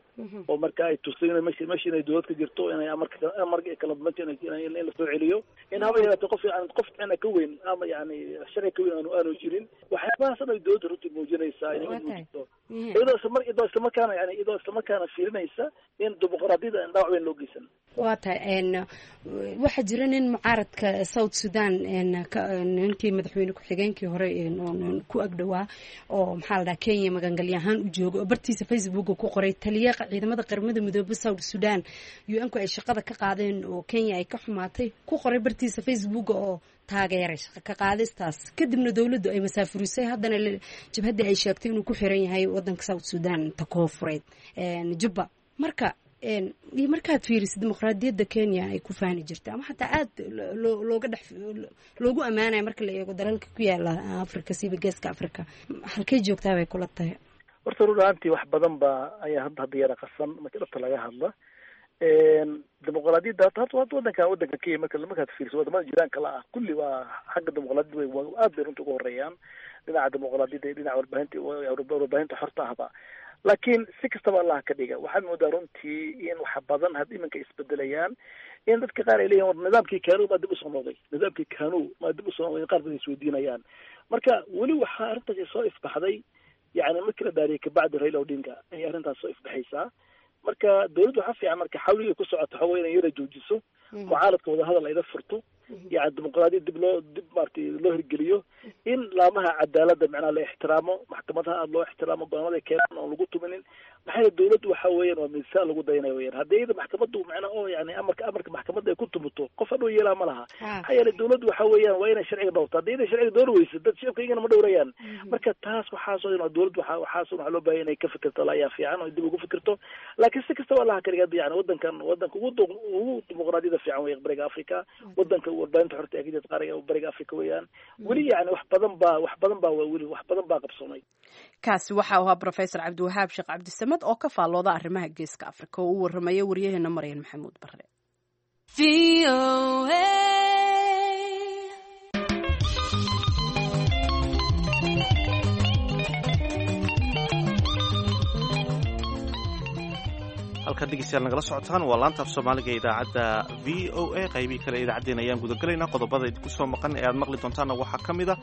oo marka ay tusto inay meesha meesha inay dawlad ka jirto, inay amarka amarka kala dambeynta inay in la soo celiyo, in haba yaraatee qof yani qof micnaha ka weyn ama yani sharci ka weyn aanu aanu jirin. Waxyaabahaas dhan ay dawladda runtii muujinaysaa inay u muujiso, iyadoo isla mar iyadoo islamarkaana yani iyadoo islamarkaana fiirinaysa in dimuqraadiyadda aan dhaawac weyn loo geysan. Waa tahay. Waxaa jira nin mucaaradka South Sudan, ninkii madaxweyne ku-xigeenkii hore ku agdhowaa, oo maxaa la dhaha Kenya magangalyo ahaan u jooga, oo bartiisa Facebooka ku qoray taliya ciidamada Qaramada Midoobe South Sudan U N-ku ay shaqada ka qaadeen oo Kenya ay ka xumaatay, ku qoray bartiisa Facebooka oo taageeray shaqa ka qaadistaas. Kadibna dowladdu ay masaafurisay, haddana jabhaddii ay sheegtay inuu ku xiran yahay wadanka South Sudan ta koofureed, Jubba. Marka iyo markaad fiirisid dimuqraadiyadda Kenya ay ku faani jirta ama xataa aada looga dhex loogu ammaanaya marka la eego dalalka ku yaala Africa, siiba Geeska Africa, halkay joogtaa bay kula tahay? Horta run ahaantii wax badan ba ayaa hadda hadda yara qasan marka dhabta laga hadla dimuqraadiyadda. Hadda hadda wadanka wadanka Kenya marka markaad fiiriso wadamada jiraanka la ah, kulli waa xagga dimuqraadiyadda way aad bay runta uga horeeyaan dhinaca dimuqraadiyadda iyo dhinaca warbaahinta warbaahinta xorta ahba. Laakiin si kastaba Allah ka dhiga, waxaad moodaa runtii in wax badan had iminka isbedelayaan, in dadka qaar ay leeyihin war nidaamkii Kanu maa dib usoo noqday, nidaamkii Kanu maa dib usoo noqday, qaar badan isweydiinayaan. Marka weli waxaa arrintaasi soo ifbaxday, yani markii la dhaariyay kabacdi Raila Odinga ayay arrintaas soo ifbaxaysaa. Marka dawladdu waxaa fiican marka xawligay ku socoto waxa wey inay yara joojiso mucaaradka, wadahadal ayla furto, yani dimuqraadiyad dib loo dib maaragtay loo hirgeliyo, in laamaha cadaaladda macnaha la ixtiraamo, maxkamadaha aada loo ixtiraamo, go'aamada ay keenaan oon lagu tuminin. Maxaa yeele dawladdu waxa weeyaan waa miisaan lagu dayanayo weyaan. Haddii iyada maxkamaddu macnaha oo yani amarka amarka maxkamadda ay ku tumuto, qof hadhow yeelaa ma laha. Maxaa yeele dawladdu waxa weeyaan waa inay sharciga dhowrto. Haddii iyada sharciga dhowr weyso, dad shicibka iyagana ma dhowrayaan. Marka taas waxaasoo dhan dawladdu waxa waxaasoo waxaa loo baahay inay ka fikirto ayaa fiican oo dib ugu fikirto. Laakiin si kastaba Allah ka dhiga, yani wadankan wadanka ugu ugu dimuqraadiyada fiican wey Bariga Africa, wadanka warbaahinta xorta ee ka jirta qaariga Bariga Africa weeyaan. Weli yani wax badan baa wax badan baa weli wax badan baa qabsoomay. Kaasi waxa uu ahaa Professor Cabdiwahaab Sheekh Cabdisamad oo ka faallooda arrimaha Geeska Afrika oo u warramaya waryaheena Maryan Maxamuud Barre. Halkaad dhegeystayaal nagala socotaan waa laanta af Soomaaliga ee idaacadda V O A. Qaybihii kale idaacaddeen ayaan gudagalaynaa. Qodobada idinku soo maqan ee aad maqli doontaanna waxaa ka mid a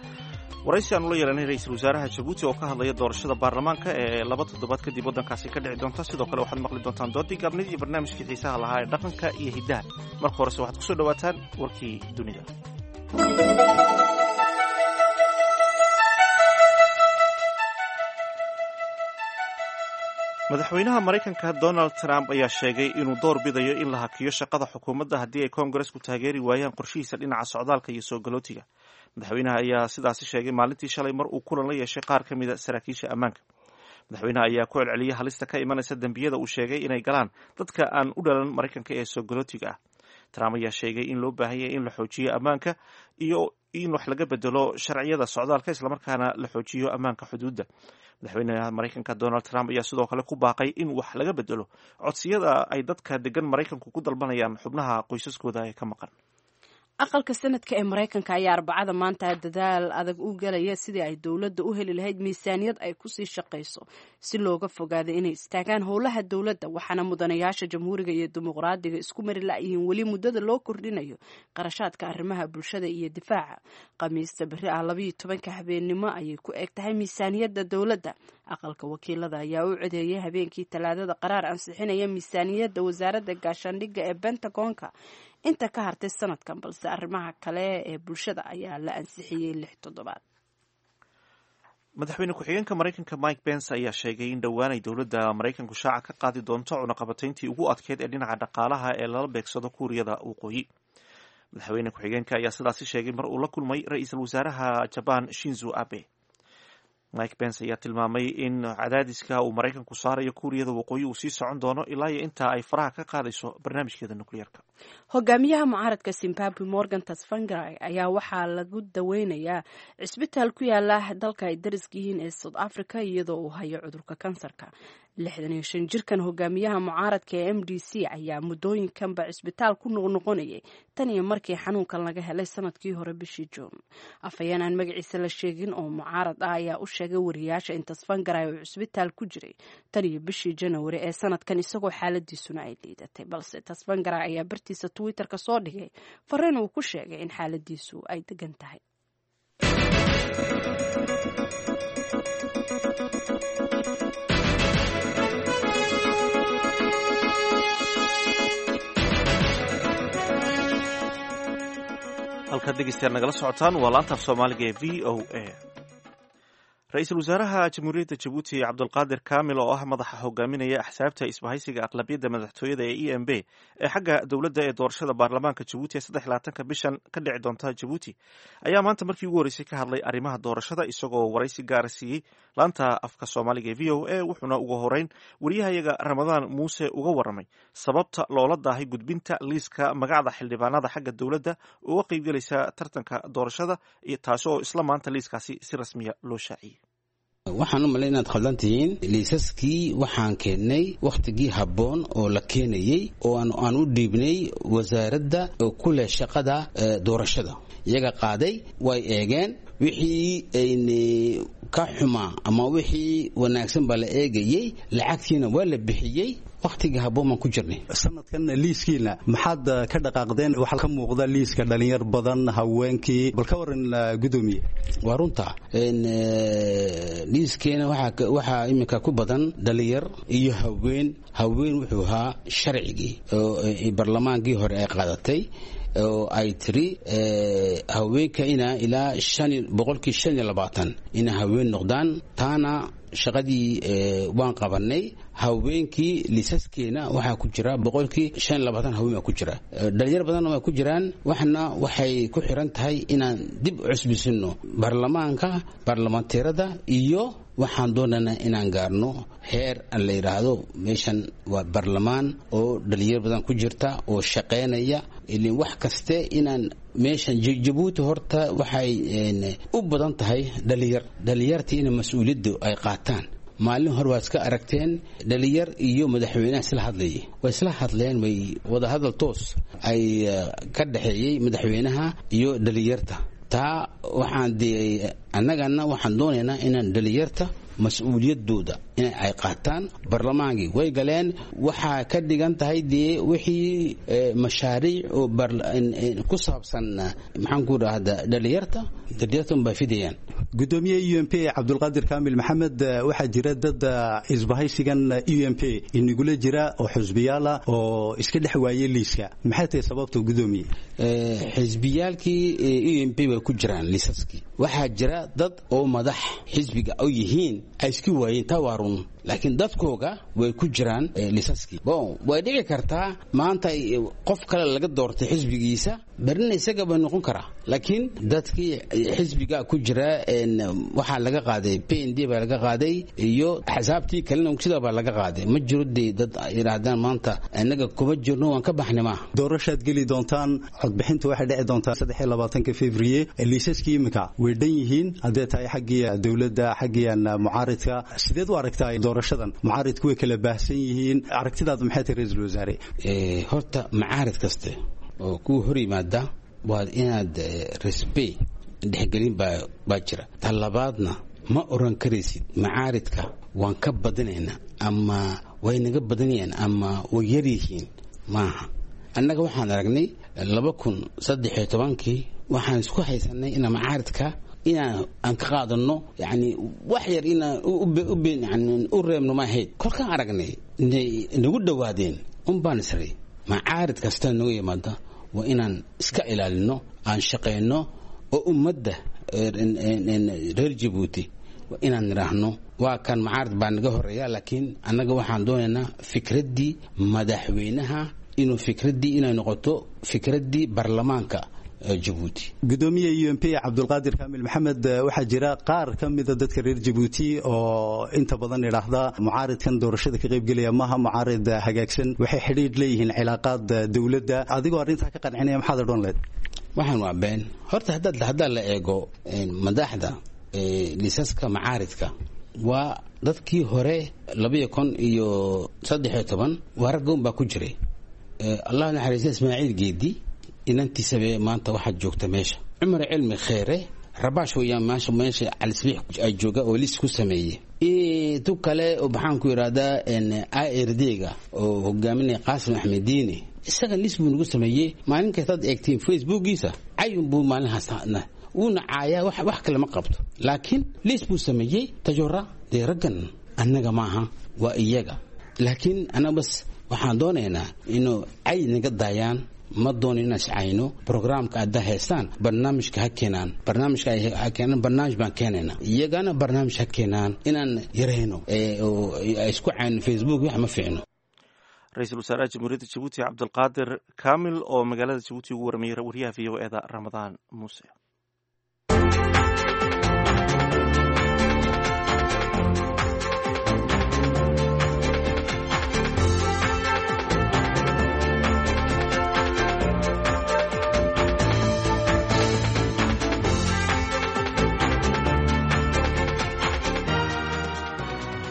waraysi aanu la yeelanay ra-iisul wasaaraha Jabuuti oo ka hadlaya doorashada baarlamaanka ee laba toddobaad kadib waddankaasi ka dhici doonta. Sidoo kale waxaad maqli doontaan doodii gaabnid iyo barnaamijkii xiisaha lahaa ee dhaqanka iyo hiddaha. Marka horese waxaad kusoo dhawaataan warkii dunida. Madaxweynaha Maraykanka Donald Trump ayaa sheegay inuu door bidayo in la hakiyo shaqada xukuumadda haddii ay koongaresku taageeri waayaan qorshihiisa dhinaca socdaalka iyo soo galootiga. Madaxweynaha ayaa sidaasi sheegay maalintii shalay mar uu kulan la yeeshay qaar ka mida saraakiisha ammaanka. Madaxweynaha ayaa ku celceliyay halista ka imanaysa dembiyada uu sheegay inay galaan dadka aan u dhalan Maraykanka ee soo galootiga ah. Trump ayaa sheegay in loo baahan yahay in la xoojiyo ammaanka iyo in wax laga bedelo sharciyada socdaalka, islamarkaana la xoojiyo ammaanka xuduudda. Madaxweynaha Maraykanka Donald Trump ayaa sidoo kale ku baaqay in wax laga bedelo codsiyada ay dadka degan Maraykanku ku dalbanayaan xubnaha qoysaskooda ee ka maqan. Aqalka Sanadka ee Maraykanka ayaa Arbacada maanta dadaal adag u galaya sidii ay dowladda u heli lahayd miisaaniyad ay kusii shaqayso si looga fogaado inay istaagaan howlaha dowladda. Waxaana mudanayaasha Jamhuuriga iyo Dimuqraadiga isku mari la'yihiin weli muddada loo kordhinayo qarashaadka arrimaha bulshada iyo difaaca. Khamiista berri ah labayo tobanka habeennimo ayay ku eg tahay miisaaniyadda dowladda. Aqalka Wakiilada ayaa u codeeyay habeenkii Talaadada qaraar ansixinaya miisaaniyadda wasaaradda gaashaandhigga ee Bentagonka inta ka hartay sanadkan, balse arrimaha kale ee bulshada ayaa la ansixiyey lix toddobaad. Madaxweyne ku-xigeenka Maraykanka Mike Pence ayaa sheegay in dhowaan ay dowladda Maraykanku shaaca ka qaadi doonto cunaqabatayntii ugu adkeyd ee dhinaca dhaqaalaha ee lala beegsado Kuuriyada Waqooyi. Madaxweyne ku-xigeenka ayaa sidaasi sheegay mar uu la kulmay ra-iisul wasaaraha Jabaan Shinzo Abe. Mike Pence ayaa tilmaamay in cadaadiska uu Maraykanku saarayo Kuuriyada Waqooyi uu sii socon doono ilaa iyo intaa ay faraha ka qaadayso barnaamijkeeda nukliyeerka. Hogaamiyaha mucaaradka Zimbabwe Morgan Tsvangirai ayaa waxaa lagu daweynayaa cisbitaal ku yaala dalka ay dariska yihiin ee South Africa, iyadoo uu hayo cudurka kansarka. Lixdan iyo shan jirkan hogaamiyaha mucaaradka ee M D C ayaa muddooyinkanba cisbitaal ku noqnoqonayay tan iyo markii xanuunkan laga helay sanadkii hore bishii Juun. Afhayeen aan magaciisa la sheegin oo mucaarad ah ayaa u sheegay wariyaasha in Tsvangirai uu cisbitaal ku jiray tan iyo bishii Janawari ee sanadkan, isagoo xaaladiisuna ay liidatay. Balse Tsvangirai ayaa bartiisa Twitter-ka soo dhigay fariin uu ku sheegay in xaaladiisu ay degan tahay. Halkaad dhegeystayaal nagala socotaan waa laanta af soomaaliga ee V O A. Ra-iisul wasaaraha Jamhuuriyadda Jabuuti Cabdulqaadir Kaamil, oo ah madaxa hogaaminaya axsaabta isbahaysiga aqlabiyadda madaxtooyada ee E M B ee xagga dowladda ee doorashada baarlamaanka Jabuuti ee saddex labaatanka bishan ka dhici doonta Jabuuti, ayaa maanta markii ugu horreysay ka hadlay arrimaha doorashada, isagoo waraysi gaara siiyey laanta afka soomaaliga ee V O A. Wuxuuna ugu horeyn wariyahayaga Ramadaan Muuse uga warramay sababta loola daahay gudbinta liiska magacda xildhibaanada xagga dowladda uga qaybgelaysa tartanka doorashada, taasi oo isla maanta liiskaasi si rasmiya loo shaaciyey. Waxaan u malay inaad khaldan tihiin. Liisaskii waxaan keennay wakhtigii habboon oo la keenayey, oo aan u dhiibnay wasaaradda ku leh shaqada doorashada. Iyaga qaaday, way eegeen wixii ayni ka xumaa ama wixii wanaagsan baa la eegayey, lacagtiina waa la bixiyey. Wakhtigii habboon baan ku jirnay. Sanadkan liiskiina maxaad ka dhaqaaqdeen? Waxaa ka muuqda liiska dhalinyar badan, haweenkii, bal ka waran, gudoomiye. Waa runta, liiskeena waxaa iminka ku badan dhalinyar iyo haween. Haween wuxuu ahaa sharcigii oo barlamaankii hore ay qaadatay oo ay tiri haweenka ina ilaa boqolkii shan iyo labaatan ina haween noqdaan. Taana shaqadii waan qabanay. Haweenkii liisaskeena waxaa ku jira boqolkii shan iyo labaatan haween baa ku jira, dhalinyar badanna waa ku jiraan. Waxna waxay ku xiran tahay inaan dib u cusbisino baarlamaanka, baarlamanteerada, iyo waxaan doonaynaa inaan gaarno heer aan la yidhaahdo meeshan waa baarlamaan oo dhalinyar badan ku jirta oo shaqaynaya. Ilin wax kaste inaan meeshan Jabuuti horta waxay u badan tahay dhalinyar, dhalinyartii ina mas-uuliyaddu ay qaataan. Maalin hore waad iska aragteen dhalinyar iyo madaxweynaha isla hadlayay, way isla hadleen, way wadahadal toos ay ka dhexeeyey madaxweynaha iyo dhalinyarta. Taa waxaan dee annagana waxaan doonaynaa inaan dhalinyarta mas-uuliyaddooda in ay qaataan. Barlamaankii way galeen, waxaa ka dhigan tahay dee wixii mashaariic oo ku saabsan maxaan ku dhahda dhalinyarta, dhalinyarta unbaa fidayaan. Gudoomiye U M P Cabdulqaadir Kaamil Maxamed, waxaa jira dad isbahaysigan U M P inagula jira oo xusbiyaala oo iska dhex waayey liiska. Maxay tahay sababta, gudoomiye? Xisbiyaalkii U M P way ku jiraan liisaskii. Waxaa jira dad oo madax xisbiga oo yihiin ay iska waayeen, taa waa run, laakiin dadkooga way ku jiraan liisaskii. Bon, way dhici kartaa maanta qof kale laga doortay xisbigiisa, berrina isaga bay noqon karaa, laakiin dadkii xisbiga ku jira waxaa laga qaaday P N D baa laga qaaday, iyo axsaabtii kalena sidaa baa laga qaaday. Ma jiro dee dad yidhaahdaan maanta innaga kuma jirno, waan ka baxnay maaha. Doorashaad geli doontaan, codbixinta waxay dhici doontaa saddex iyo labaatanka February. Liisaskii iminka way dhan yihiin haddee tahay xaggii dowladda, xaggii mucaaridka. Sideed u aragtaa doorashadan? Mucaaridku way kala baahsan yihiin, aragtidaadu maxay tahay, ra-iisul wasaare? Horta mucaarid kaste oo kuwa hor yimaada waa inaad respect dhexgelin baa jira. Ta labaadna ma oran karaysid macaaridka waan ka badinaynaa ama way naga badanayaan ama way yaryihiin, maaha. Annaga waxaan aragnay laba kun saddex iyo tobankii waxaan isku haysanay inaan macaaridka inaan aan ka qaadano, yani wax yar inaan yani u reebno ma ahayd. Kolkaan aragnay inay nagu dhowaadeen un baan isray macaarid kasta nagu yimaada waa inaan iska ilaalino, aan shaqayno oo ummadda reer Jabuuti waa inaan nidhaahno waa kan macaarid baa naga horeeya, laakiin annaga waxaan doonaynaa fikraddii madaxweynaha inuu fikraddii inay noqoto fikraddii baarlamaanka Jabuuti. Gudoomiye U M P Cabdulqaadir Kaamil Maxamed, waxaa jira qaar ka mida dadka reer Jabuuti oo inta badan idhaahda mucaaridkan doorashada ka qaybgelaya maaha mucaarid hagaagsan, waxay xidhiidh leeyihiin cilaaqaad dowladda. Adigoo arrintaa ka qancinaya maxaad odhan lahayd? Waxaan waa been. Horta haddaad haddaa la eego madaxda liisaska macaaridka Waa dadkii hore labiyo kun iyo saddexiyo toban waa ragga un baa ku jiray. Allah naxariista Ismaaciil Geedi inantiisabe maanta waxaad joogta meesha. Cumar Cilmi Kheere Rabaash weeyaan maasha meesha Calisbiix ay jooga oo liis ku sameeyey. Tu kale oo maxaan ku yidhahdaa I R D-ga oo hogaaminaya Qaasim Axmed Diini, isaga liis buu nagu sameeyey. Maalin kastaad eegtiin Facebookiisa cayun buu maalinhaas wuuna caayaa, wax wax kale ma qabto, laakiin liis buu sameeyey. Tajora dee raggan annaga maaha, waa iyaga, laakiin annaga bas waxaan doonaynaa inuu cay naga daayaan. Ma doonin inaan iscayno. Programka hadda haystaan barnaamijka ha keenaan, barnaamijka ha keenaan, barnaamij baan keenaynaa, iyagana barnaamij ha keenaan inaan yarayno oo isku cayno Facebook wax ma fiicno. Ra-iisul wasaaraha Jamhuuriyadda Jabuuti Cabdulqaadir Kaamil oo magaalada Jabuuti ugu warmayay wariyaha V O E da Ramadaan Muuse.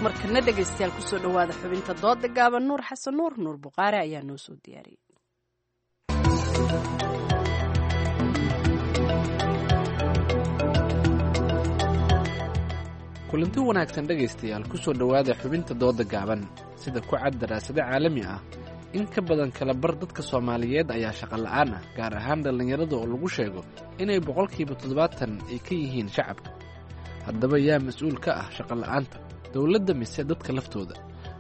Markana dhegaystayaal, kusoo dhowaada xubinta dooda gaaban. Nuur Xasan Nuur, Nuur Buqaare, ayaa noo soo diyaariyey. Kulanti wanaagsan dhegaystayaal, kusoo dhowaada xubinta dooda gaaban. Sida ku cad daraasado caalami ah, in ka badan kala bar dadka Soomaaliyeed ayaa shaqo la'aan ah, gaar ahaan dhallinyarada oo lagu sheego inay boqolkiiba toddobaatan ay ka yihiin shacabka. Haddaba yaa mas-uul ka ah shaqo la'aanta, dowladda mise dadka laftooda?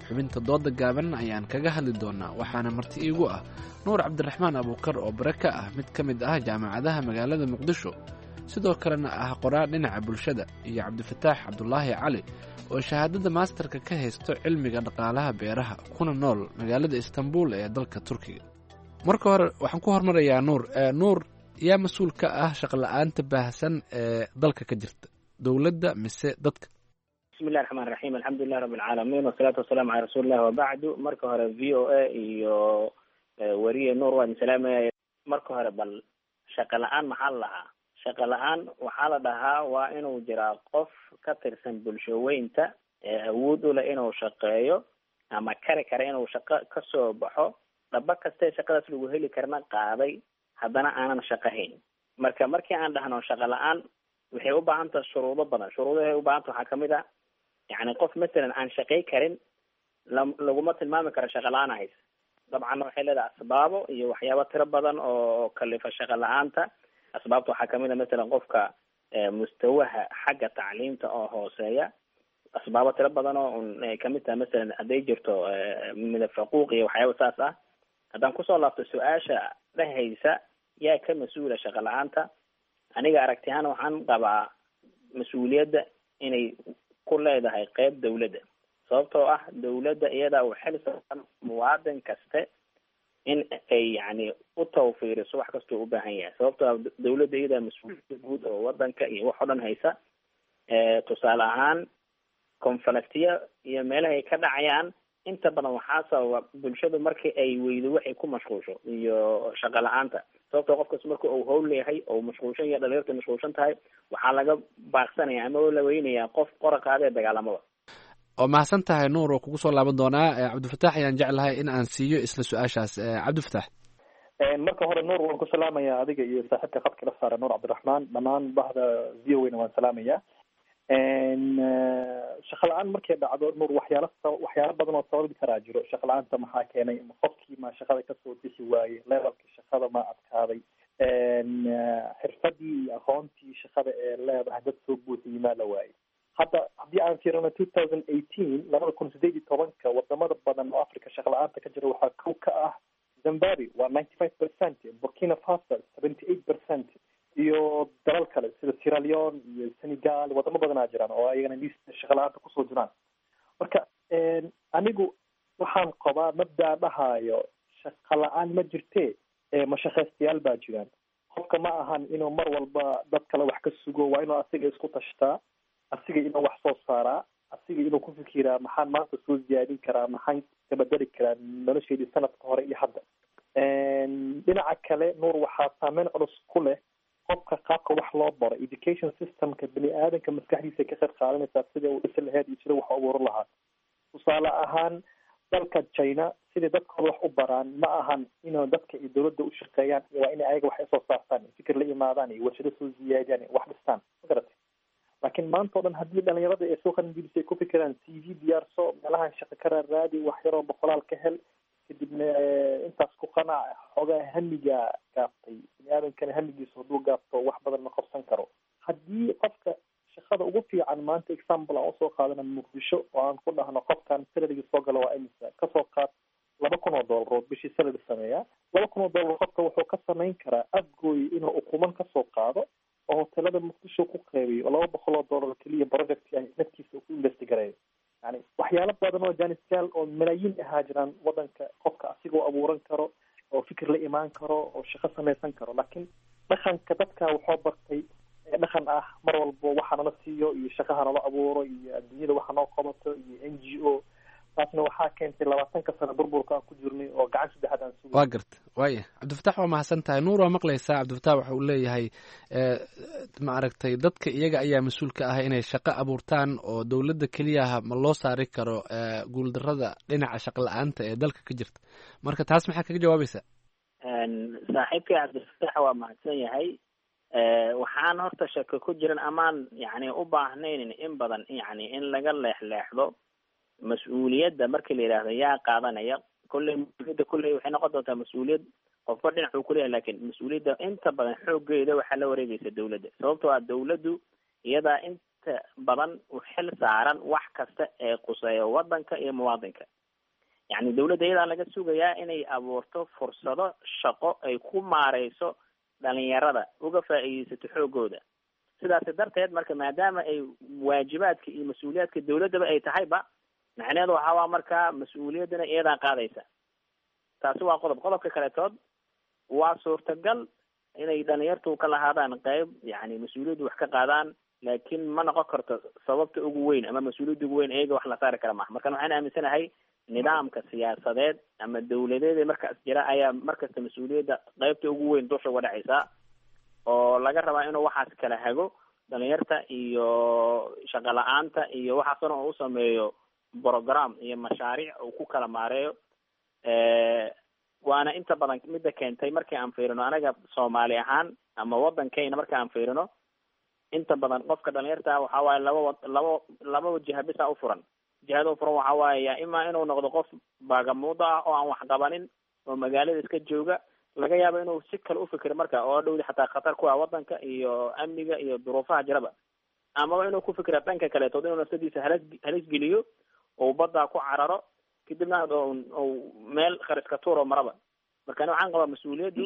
Xubinta dooda gaaban ayaan kaga hadli doonaa, waxaana marti iigu ah Nuur Cabdiraxmaan Abuukar oo bare ka ah mid ka mid ah jaamacadaha magaalada Muqdisho, sidoo kalena ah qoraa dhinaca bulshada, iyo Cabdifataax Cabdulaahi Cali oo shahaadada maasterka ka haysto cilmiga dhaqaalaha beeraha kuna nool magaalada Istanbul ee dalka Turkiga. Marka hore waxaan ku hormarayaa Nuur. Nuur, yaa mas-uul ka ah shaqola'aanta baahsan ee dalka ka jirta, dowladda mise dadka? Bismillahi raxmaan raxiim, alxamdulilah rabbi alcaalamiin, wasalaatu wasalaamu calaa rasuulillahi wabacdu. Marka hore V O A iyo weriye Nuur waan salaamaya. Marka hore bal shaqa la-aan maxaa la dhahaa? Shaqa la-aan waxaa la dhahaa waa inuu jiraa qof ka tirsan bulshaweynta ee awood u leh inuu shaqeeyo ama kari kara inuu shaqo kasoo baxo, dhaba kastee shaqadaas lagu heli karna qaaday, haddana aanan shaqahayn. Marka markii aan dhahno shaqa la-aan, waxay u baahan tahay shuruudo badan. Shuruudahay u baahanta waxaa kamid ah, yacni qof masalan aan shaqay karin laguma tilmaami karo shaqa la-aan haysa. Dabcan waxay leedahay asbaabo iyo waxyaabo tiro badan oo kalifa shaqa la-aanta. Asbaabta waxaa kamid a masalan qofka mustawaha xagga tacliimta oo hooseeya, asbaabo tiro badan oo un ay kamid tahay masalan hadday jirto midab faquuq iyo waxyaaba saas ah. Haddaan kusoo laabto su-aasha dhehaysa yaa ka mas-uula shaqa la-aanta, aniga aragti ahaan waxaan qabaa mas-uuliyadda inay ku leedahay qeyb dawladda, sababtoo ah dawladda iyadaa u xil saaran muwaadin kaste in ay yacni u tawfiiriso wax kastoo u baahan yahay, sababtoo ah dawladda iyadaa mas-uuliyadda guud oo wadanka iyo wax o dhan haysa. Tusaale ahaan konfalaktiya iyo meelaha ay ka dhacayaan inta badan waxaa sababa bulshadu markii ay weydo waxay ku mashquulsho iyo shaqo la-aanta, sababtoo qofkas marka uu hawl leeyahay oo mashquulshan yahay, dhalinyarta mashquulshan tahay, waxaa laga baaqsanaya ama la weynayaa qof qora qaadee dagaalamada. Oo mahadsan tahay Nuur, oo kugu soo laaban doonaa. Cabdifataax ayaan jeclahay in aan siiyo isla su-aashaas. Cabdifataax. Marka hore Nuur waan ku salaamayaa adiga iyo saaxiibka khadka la saara Nuur Cabdiraxmaan, dhammaan bahda V O A na waan salaamayaa. Shaqa la-aan markay dhacdo Nuur, waxyaala waxyaalo badan oo sababi karaa jiro shaqa la-aanta. Maxaa keenay? Qofkii ma shaqada kasoo bixi waayey? Levelka shaqada ma adkaaday? Xirfadii iyo aqoontii shaqada ee leedahay dad soo buuxiyey maa la waayey? Hadda haddii aan fiirino two thousand eighteen, labada kun sideed iyo tobanka, wadamada badan oo Africa shaqa la-aanta ka jira waxaa kow ka ah Zimbabwe, waa ninety five percent, Burkina Faso seventy eight percent, iyo dalal kale sida Sierra Leone iyo Senegal. Wadamo badanaa jiraan oo ayagana liista shaqa la-aanta kusoo jiraan. Marka anigu waxaan qabaa mabdaa dhahaayo shaqa la-aan ma jirtee, mashaqaystayaal baa jiraan. Qofka ma ahan inuu mar walba dad kale wax ka sugo, waa inuu asiga isku tashtaa, asiga inuu wax soo saaraa, asiga inuu ku fikiraa maxaan maanta soo ziyaadin karaa, maxaan kabedeli karaa nolosheydii sanadka hore iyo hadda. Dhinaca kale Nuur, waxaa saameyn culus ku leh Qofka qaabka wax loo baro, education systemka bini aadanka maskaxdiisa ka qayb qaadanaysaa sida uu dhisi lahayd iyo sida wax u abuuran lahaa. Tusaale ahaan, dalka China siday dadkooda wax u baraan ma ahan inuu dadka iyo dowladda u shaqeeyaan, waa inay ayaga wax isoo saartaan, fikir la imaadaan iyo warshado soo ziyaadiyaan, wax dhistaan, ma garatay? Laakiin maanta o dhan haddii dhalinyarada ee soo qalinjebisay ay ku fikiraan C V diyaarso, meelahan shaqo ka raaraadi, wax yaroo boqolaal ka hel, kadibna intaas ku qanac, xoogaa hamiga gaaftay. Bini aadamkana hamigiisa hadduu gaafto wax badan ma qabsan karo. Haddii qofka shaqada ugu fiican maanta, example aan usoo qaadana Muqdisho, oo aan ku dhahno qofkan salarigi soo gala waa imisa, kasoo qaad laba kun oo dollar oo bishii salary sameeya, laba kun oo dollar qofka wuxuu ka samayn karaa Afgooy inuu ukuman kasoo qaado oo hotelada Muqdisho ku qeybiyo oo laba boqol oo dollar keliya project naftiisa uu ku invest gareeyo. Yani waxyaalo badan oo janisyaal oo malaayiin ahaa jiraan wadanka, qofka asigoo abuuran karo oo fikir la imaan karo oo shaqo samaysan karo. Laakiin dhaqanka dadka wuxuu bartay dhaqan ah mar walbo waxa nala siiyo iyo shaqaha nala abuuro iyo adduunyada waxa noo qabato iyo N G O. Taasna waxaa keentay labaatanka sano burburka aan ku jirnay oo gacan saddexaad aan sugay. Waa garta, waaya Cabdifatax, waa mahadsan tahay. Nuur, waa maqlaysaa, Cabdifatax waxa uu leeyahay, ma aragtay, dadka iyaga ayaa mas-uul ka ah inay shaqo abuurtaan oo dowladda keliyaha ma loo saari karo guuldarrada dhinaca shaqo la-aanta ee dalka ka jirta. Marka taas maxaa kaga jawaabaysaa? Saaxiibkii Cabdifatax waa mahadsan yahay. Waxaan horta shako ku jiran amaan yani u baahnayn in badan yani in laga leexleexdo mas-uuliyadda. Markii la yidhaahdo yaa qaadanaya, kolley mas-uuliyadda kolley waxay noqon doontaa mas-uuliyad qofba dhinac uu kuleeyahay, lakin mas-uuliyadda inta badan xooggeeda waxaa la wareegaysa dawladda, sababtoo ah dawladdu iyadaa inta badan u xil saaran wax kasta ee quseeya waddanka iyo muwaadinka. Yani dawladda iyadaa laga sugayaa inay abuurto fursado shaqo ay ku maareyso dhalinyarada, uga faa'iideysato xooggooda. Sidaasi darteed marka, maadaama ay waajibaadka iyo mas-uuliyaadka dawladdaba ay tahayba, macnaheedu waxaa waa markaa mas-uuliyaddana iyadaa qaadaysa. Taasi waa qodob. Qodobka kaletood, waa suurtagal inay dhalinyartu ka lahaadaan qeyb, yani mas-uuliyaddu wax ka qaadaan, laakiin ma noqon karto sababta ugu weyn ama mas-uuliyadda ugu weyn iyaga wax la saari kara maaha. Markan waxaan aaminsanahay nidaamka siyaasadeed ama dawladeed ee markaas jira ayaa markasta mas-uuliyadda qeybta ugu weyn dusha uga dhacaysa, oo laga rabaa inuu waxaas kala hago dhalinyarta iyo shaqo la-aanta iyo waxaas dhan, oo u sameeyo program iyo mashaariic uu ku kala maareeyo. Waana inta badan midda keentay markii aan fiirino anaga Soomaali ahaan ama waddankeyna marka aan fiirino, inta badan qofka dhalinyarta waxaa waaye laba wa laba laba jiha bisa u furan. Jihada u furan waxaa waaye yaa imaa inuu noqdo qof baagamuuda ah oo aan wax qabanin oo magaalada iska jooga, laga yaabo inuu si kale ufikiro marka oo dhowdi xataa khatar ku ah waddanka iyo amniga iyo duruufaha jiraba, amaba inuu ku fikira dhanka kaleetood, inuu nafsadiisa halis halis geliyo oo baddaa ku cararo, kadibna u meel khariska tuuro maraba. Marka ani waxaan qabaa mas-uuliyaddu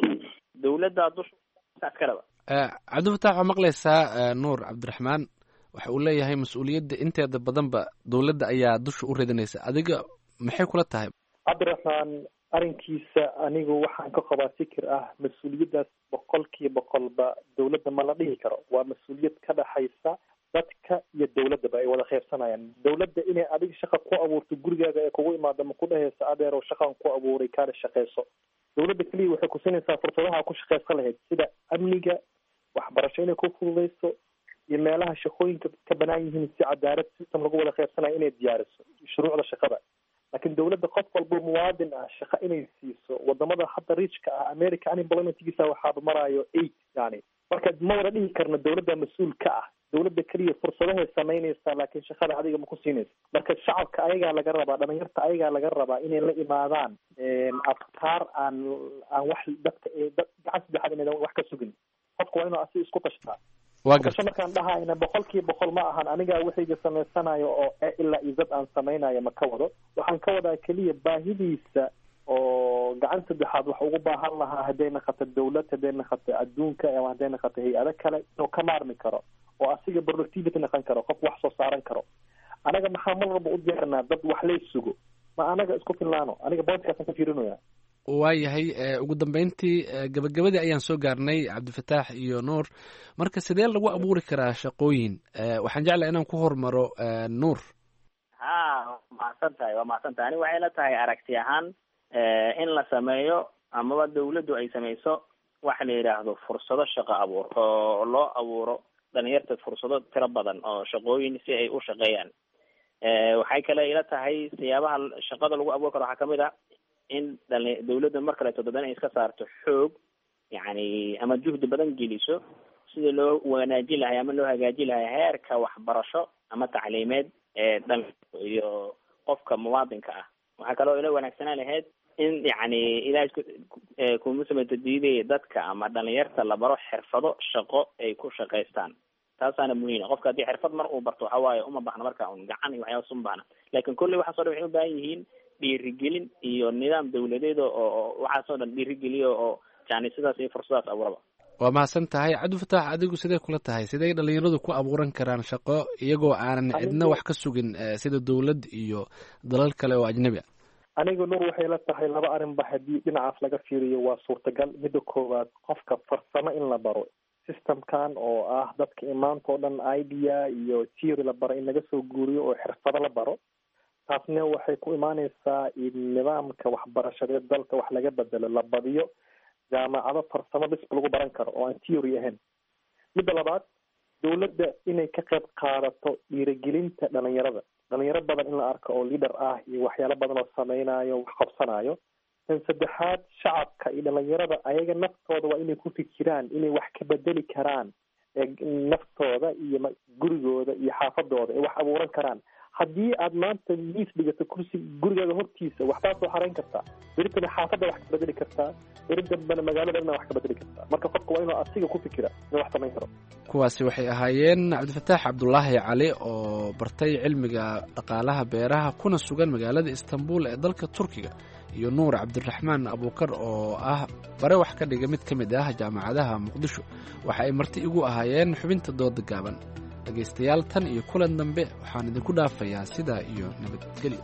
dawladda dusha iskaleba. Cabdifatax, waa maqlaysaa, Nuur Cabdiraxmaan waxa uu leeyahay mas-uuliyadda inteeda badanba dawladda ayaa dusha u ridinaysa. Adiga maxay kula tahay? Cabdiraxmaan arrinkiisa anigu waxaan ka qabaa fikir ah mas-uuliyaddaas boqolkiiba boqolba dawladda ma la dhihi karo. Waa mas-uuliyad ka dhaxaysa dadka iyo dawladdaba ay wada qaybsanayaan. Dawladda inay adiga shaqa ku abuurto gurigaaga ee kugu imaado ma ku dhehaysa adeerow shaqaan ku abuuray, kaana shaqeyso. Dawladda keliya waxay kusinaysaa fursadaha ku shaqeysan lahayd, sida amniga, waxbarasho inay ku fududeyso iyo meelaha shaqooyinka ka banaan yihiin, si cadaalad system lagu wada qaybsanayo inay diyaariso shuruucda shaqada. Laakiin dawladda qof walbo muwaadin ah shaqo inay siiso, wadamada hadda richka ah, America unemploymentgiisa waxaaba maraayo eight. Yani marka ma wada dhihi karno dawladda mas-uul ka ah. Dawladda keliya fursadahay samaynaysaa, laakiin shaqada adiga ma ku siinaysa. Marka shacabka ayagaa laga rabaa, dhalinyarta ayagaa laga rabaa inay la imaadaan afkaar aan aan wax dadka dad gacan saddexaad inaydan wax ka sugin. Qofka waa inuu asi isku tashtaa. Waa Tasho markaan dhahayna boqolkiiba boqol ma ahan anigaa wixayga samaysanayo oo e ilaa izad aan samaynayo ma ka wado. Waxaan ka wadaa keliya baahidiisa oo gacan saddexaad wax ugu baahan lahaa, hadday naqato dawlad, hadday naqato adduunka ama hadday naqato hay-ado kale, inuu ka maarmi karo oo asiga productivity naqon karo, qof wax soo saaran karo. Anaga maxaa mar walba u diyaarinaa dad wax lay sugo? Ma anaga isku filnaano? Aniga boodkaasaan ka fiirinaya. Waayahay, ugu dambeyntii, gabagabadii ayaan soo gaarnay, Cabdifataax iyo Nuur. Marka sidee lagu abuuri karaa shaqooyin? Waxaan jeclahay inaan ku hormaro Nuur. Ha, waa mahadsan tahay, waa mahadsan tahay. Ani waxay la tahay aragti ahaan in la sameeyo amaba dawladdu ay sameyso waxa la yidhaahdo fursado shaqo abuur oo loo abuuro dhalinyarta fursado tiro badan oo shaqooyin si ay u shaqeeyaan. Waxay kale ila tahay siyaabaha shaqada lagu abuuri karo waxaa kamid ah in dhali dawladda mar kaleeto dadana ay iska saarto xoog, yacni ama juhdi badan geliso sidii loo wanaajin lahay ama loo hagaajin lahay heerka waxbarasho ama tacliimeed ee dhalinyarta iyo qofka muwaadinka ah. Waxaa kaloo ila wanaagsanaan lahayd in yacni ilaah isku kuma samayto diidaya dadka ama dhalinyarta la baro xirfado shaqo ay ku shaqaystaan. Taasaana muhiim ah. Qofka haddii xirfad mar uu barto waxa waaye uma baxna marka un gacan iyo waxyaabas uma baxna, laakiin kolley waxaas o dhan waxay u baahan yihiin dhiirigelin iyo nidaam dawladeed oo oo waxaas oo dhan dhiirigeliyo oo yani sidaas iyo fursadaas abuuraba. Waa mahadsan tahay Cabdifataax. Adigu sidee kula tahay, sidey dhalinyaradu ku abuuran karaan shaqo iyagoo aanan cidna wax ka sugin sida dawlad iyo dalal kale oo ajnabi ah? Anigu Nuur waxay la tahay laba arrinba haddii dhinacaas laga fiiriyo waa suurtagal. Midda koowaad, qofka farsamo in la baro systemkan oo ah dadka imaanta oo dhan idea iyo theory la baro in laga soo guuriyo oo xirfado la baro, taasna waxay ku imaaneysaa in nidaamka waxbarashadeed dalka wax laga bedelo, la badiyo jaamacado farsamo bisba lagu baran karo oo aan theory ahayn. Midda labaad, dawladda inay ka qayb qaadato dhiirigelinta dhalinyarada, dhalinyaro badan in la arko oo leader ah iyo waxyaalo badan oo sameynayo, wax qabsanayo. Tan saddexaad, shacabka iyo dhalinyarada ayaga naftooda waa inay ku fikiraan inay wax ka bedeli karaan naftooda iyo gurigooda iyo xaafadooda ay wax abuuran karaan. Haddii aad maanta miis dhigato kursi gurigaaga hortiisa, waxbaa soo xareyn kartaa, beritana xaafadda wax ka bedeli kartaa, beri dambena magaalada wax ka bedeli kartaa. Marka qofka waa inuu asiga ku fikira inuu wax samayn karo. Kuwaasi waxay ahaayeen Cabdifataax Cabdulaahi Cali oo bartay cilmiga dhaqaalaha beeraha kuna sugan magaalada Istanbul ee dalka Turkiga, iyo Nuur Cabdiraxmaan Abuukar oo ah bare wax ka dhiga mid ka mid ah jaamacadaha Muqdisho. Waxa ay marti igu ahaayeen xubinta dooda gaaban. Dhegaystayaal, tan iyo kulan dambe waxaan idinku dhaafayaa sidaa iyo nabadgelyo.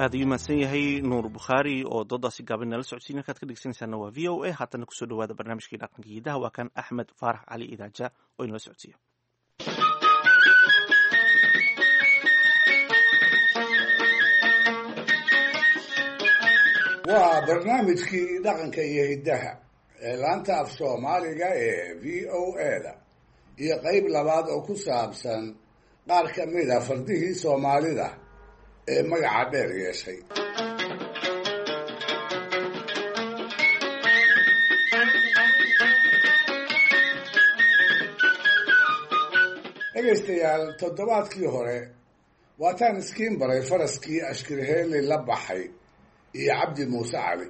Aad ayuu mahadsan yahay Nuur Bukhaari oo doodaasi gaaban nala socodsiin. Halkaad ka dhegeysanaysaana waa V O A. Haatana kusoo dhawaada barnaamijkii dhaqanka hidaha, waa kan Axmed Faarax Cali Idaaja oo inala socodsiiya. Waa barnaamijkii dhaqanka iyo hiddaha ee laanta af Soomaaliga ee V O A da iyo qayb labaad oo ku saabsan qaar ka mid a fardihii Soomaalida ee magaca dheer yeeshay. Dhegaystayaal, toddobaadkii hore waataan iskiin baray faraskii Ashkirheeli la baxay iyo Cabdi Muuse Cali,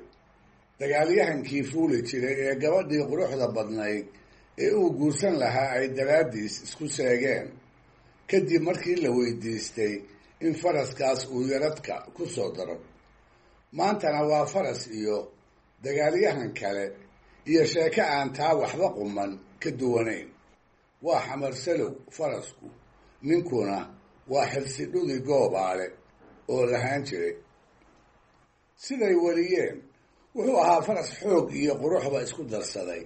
dagaalyahankii fuuli jiray ee gabadhii quruxda badnayd ee uu guursan lahaa ay daraaddiis isku seegeen kadib markii la weydiistay in faraskaas uu yaradka ku soo daro. Maantana waa faras iyo dagaalyahan kale iyo sheeko aan taa waxba quman ka duwanayn. Waa Xamarsalow farasku, ninkuna waa Xirsidhudi Goobaale oo lahaan jiray. Siday wariyeen, wuxuu ahaa faras xoog iyo quruxba isku darsaday,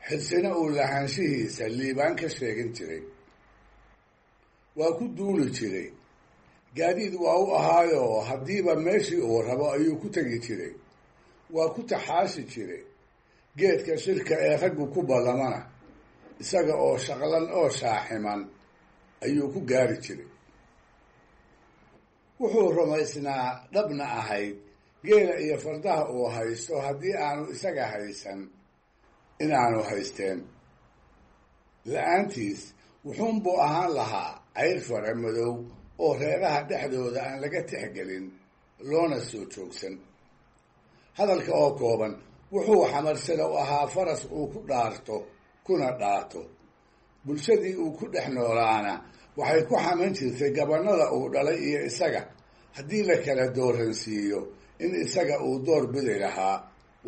xirsina uu lahaanshihiisa liibaan ka sheegin jiray. Waa ku duuli jiray, gaadiid waa u ahaayoo haddiiba meeshii uu rabo ayuu ku tegi jiray. Waa ku taxaashi jiray geedka shirka ee raggu ku ballamana, isaga oo shaqlan oo shaaximan ayuu ku gaari jiray. Wuxuu rumaysnaa dhabna ahayd geela iyo fardaha uu haysto haddii aanu isaga haysan inaanu haysteen. La-aantiis wuxuunbuu ahaan lahaa cayr fare madow oo reeraha dhexdooda aan laga tixgelin loona soo joogsan. Hadalka oo kooban, wuxuu Xamarsalow ahaa faras uu ku dhaarto kuna dhaato. Bulshadii uu ku dhex noolaana waxay ku xaman jirtay gabannada uu dhalay iyo isaga haddii la kala dooransiiyo in isaga uu door bidi lahaa,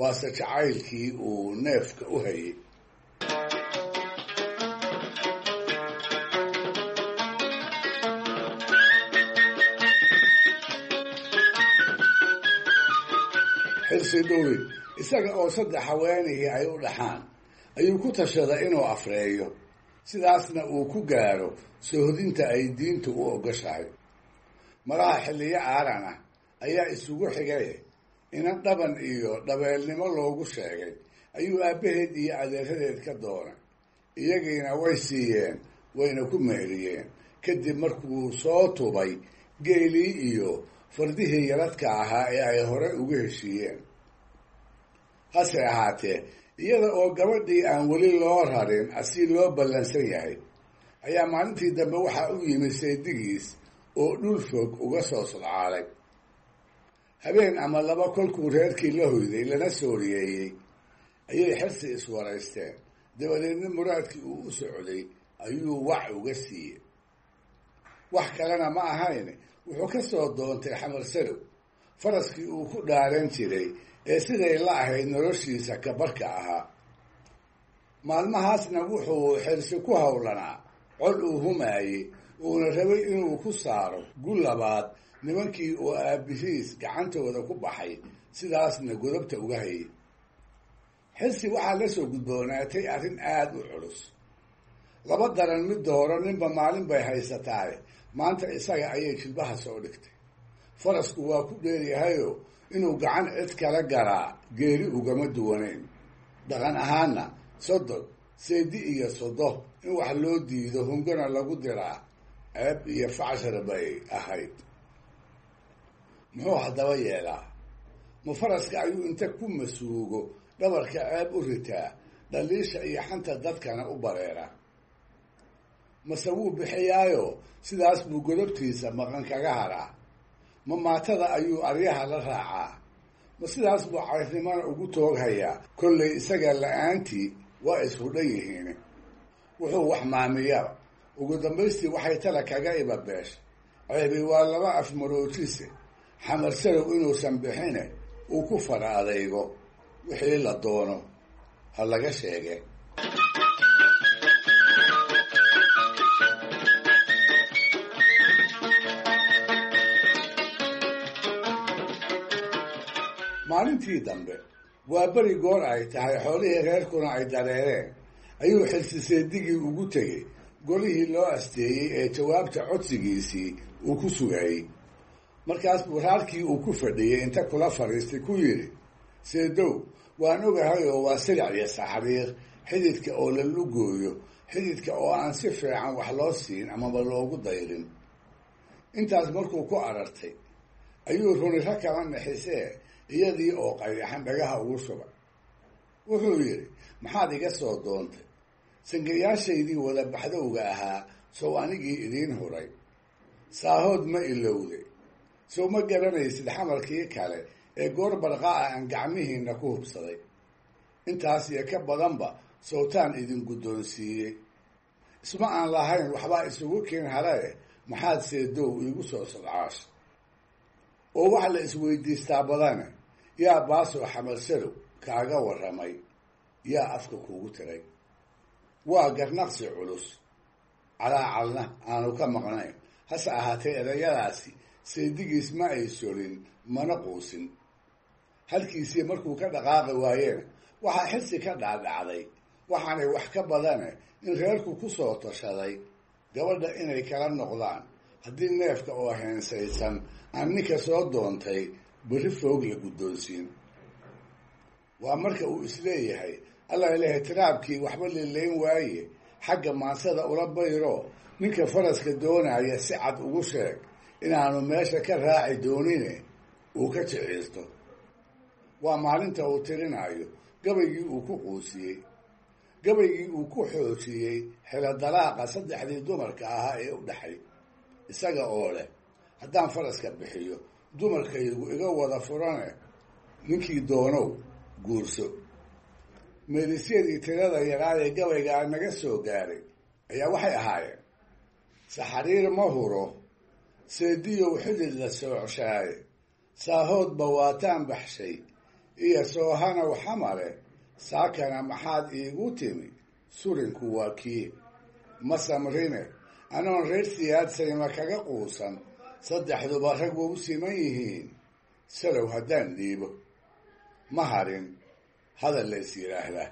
waase jacaylkii uu neefka u hayay. Xirsi Dhuwi isaga oo saddex haweenihii ay u dhaxaan ayuu ku tashaday inuu afreeyo, sidaasna uu ku gaaro soohodinta ay diintu u ogoshahay. Malaha xilliyo aaran ah ayaa isugu xigay inan dhaban iyo dhabeelnimo loogu sheegay ayuu aabbaheed iyo adeeradeed ka doonay. Iyagiina way siiyeen, wayna ku meheriyeen. Kadib markuu soo tubay geelii iyo fardihii yaradka ahaa ee ay hore ugu heshiiyeen. Hase ahaatee, iyada oo gabadhii aan weli loo rarin asi loo ballansan yahay, ayaa maalintii dambe waxaa u yimid saydigiis oo dhul fog uga soo sodcaalay. Habeen ama laba kolkuu reerkii la hoyday lana sooriyeeyey ayay xirsi iswaraysteen. Dabadeedna muraadkii uu u socday ayuu wac uga siiyey. Wax kalena ma ahayn, wuxuu ka soo doontay Xamar Salow faraskii uu ku dhaaran jiray ee siday la ahayd noloshiisa kabarka ahaa. Maalmahaasna wuxuu xirsi ku howlanaa col uu humaayey, uuna rabay inuu ku saaro gul labaad nimankii oo aabbihiis gacantooda ku baxay, sidaasna godobta uga hayay. Xirsi waxaa la soo gudboonaatay arrin aada u culus. Laba daran mid dooro, ninba maalin bay haysataay. Maanta isaga ayay jilbaha soo dhigtay. Farasku waa ku dheeryahayoo inuu gacan cid kala garaa geeri ugama duwanayn. Dhaqan ahaanna sodon seedi iyo sodo in wax loo diido hungana lagu diraa ceeb iyo facshar bay ahayd. Muxuu haddaba yeelaa? Ma faraska ayuu inta ku masuugo dhabarka ceeb u ritaa, dhaliisha iyo xanta dadkana u bareera? Mase wuu bixiyaayo sidaas buu godobtiisa maqan kaga haraa? Ma maatada ayuu aryaha la raacaa? Ma sidaas buu cayrnimana ugu tooghayaa? Kollay isaga la-aantii waa ishudhan yihiin. Wuxuu wax maamiyaba ugu dambaystii waxay tala kaga ibabeesha. Ceebi waa laba afmaroojise, Xamar Salow inuusan bixine uu ku fara adaygo, wixii la doono ha laga sheege. Maalintii dambe waa beri goor ay tahay, xoolihii reerkuna ay dareereen, ayuu xirsi seedigii ugu tegey golihii loo asteeyey ee jawaabta codsigiisii uu ku sugayey. Markaas buu raarkii uu ku fadhiyey inta kula fadhiistay ku yidhi, seedow, waan ogahay oo waa silic iyo saxriir, xididka oo la lugooyo, xididka oo aan si fiican wax loo siin amaba loogu dayrin. Intaas markuu ku arartay ayuu runiro kala nixisee iyadii oo qayaxan dhagaha ugu shubay. Wuxuu yidhi, maxaad iga soo doontay? Sangayaashaydii wada baxdowga ahaa sow anigii idiin huray? Saahood ma ilowday? Sow ma garanaysid xamarkii kale ee goor barqa ah aan gacmihiinna ku hubsaday? Intaas iyo ka badanba sowtaan idin guddoonsiiyey. Isma aan lahayn waxbaa isugu keen halae, maxaad seedow iigu soo sodcaash? Oo wax la isweydiistaa badane, yaa baasoo Xamar Salow kaaga warramay? Yaa afka kuugu tiray? Waa garnaqsi culus, calaacalna aanu ka maqnayn. Hase ahaatee erayadaasi seedigiis ma ay solin mana quusin. Halkiisii markuu ka dhaqaaqi waayena waxaa xirsi ka dhaadhacday waxaanay wax ka badane in reerku ku soo tashaday gabadha inay kala noqdaan haddii neefka oo heensaysan aan ninka soo doontay berri foog la guddoonsiin. Waa marka uu isleeyahay allah ilahay tiraabkii waxba lilayn waaye, xagga maansada ula bayro, ninka faraska doonaya si cad ugu sheeg inaanu meesha ka raaci doonine uu ka jiciisto. Waa maalinta uu tirinayo gabaygii uu ku quusiyey, gabaygii uu ku xoojiyey xelo dalaaqa saddexdii dumarka ahaa ee u dhaxay, isaga oo leh haddaan faraska bixiyo dumarkaygu iga wada furane ninkii doonow guurso. Meelisyadii tirada yaraa ee gabaygaa naga soo gaaray ayaa waxay ahaayeen, saxariir ma huro, seediyow xidid la soocshaay, saahoodba waataan baxshay iyo soohanow xamare, saakana maxaad iigu timi surinku waa kii. Ma samrine anoon reer siyaadsayma kaga quusan, saddexduba rag wau siman yihiin, salow haddaan dhiibo. Ma harin hadal la is yidhaahdaa.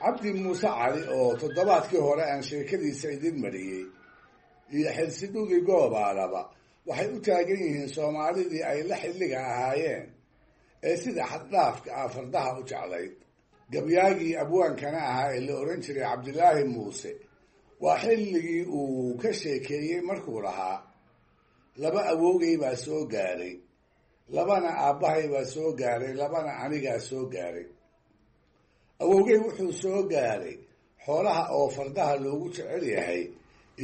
Cabdi Muuse Cali oo toddobaadkii hore aan sheekadiisa idin mariyey iyo Xilsidhugi Goobaalaba waxay u taagan yihiin Soomaalidii ay la xilliga ahaayeen ee sida xaddhaafka ah fardaha u jeclayd. Gabyaagii abwaankana ahaa ee la odhan jiray Cabdilaahi Muuse waa xilligii uu ka sheekeeyey markuu lahaa laba awowgay baa soo gaaray, labana aabbahay baa soo gaaray, labana anigaa soo gaaray. Awowgay wuxuu soo gaaray xoolaha oo fardaha loogu jecel yahay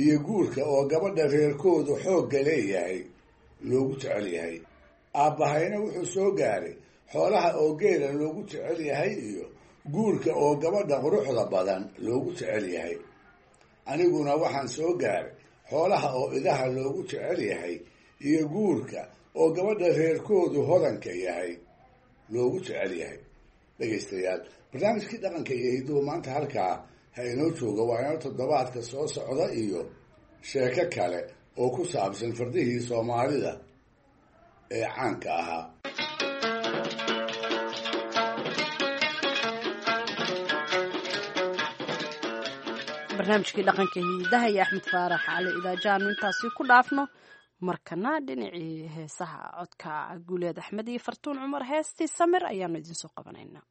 iyo guurka oo gabadha reerkoodu xoogga leeyahay loogu jecel yahay. Aabbahayna wuxuu soo gaaray xoolaha oo geela loogu jecel yahay iyo guurka oo gabadha quruxda badan loogu jecel yahay. Aniguna waxaan soo gaaray xoolaha oo idaha loogu jecel yahay iyo guurka oo gabadha reerkoodu hodanka yahay loogu jecel yahay. Dhegaystayaal, barnaamijkii dhaqanka iyo hidduhu maanta halkaa ha inoo jooga. Waa inoo toddobaadka soo socda iyo sheeko kale oo ku saabsan fardihii Soomaalida ee caanka ahaa. Barnaamijkii dhaqanka hiidaha iyo Axmed Faarax Cali Idaajaanu intaasi ku dhaafno. Markana dhinacii heesaha, codka Guuleed Axmed iyo Fartuun Cumar, heestii Samir ayaanu idinsoo qabanaynaa.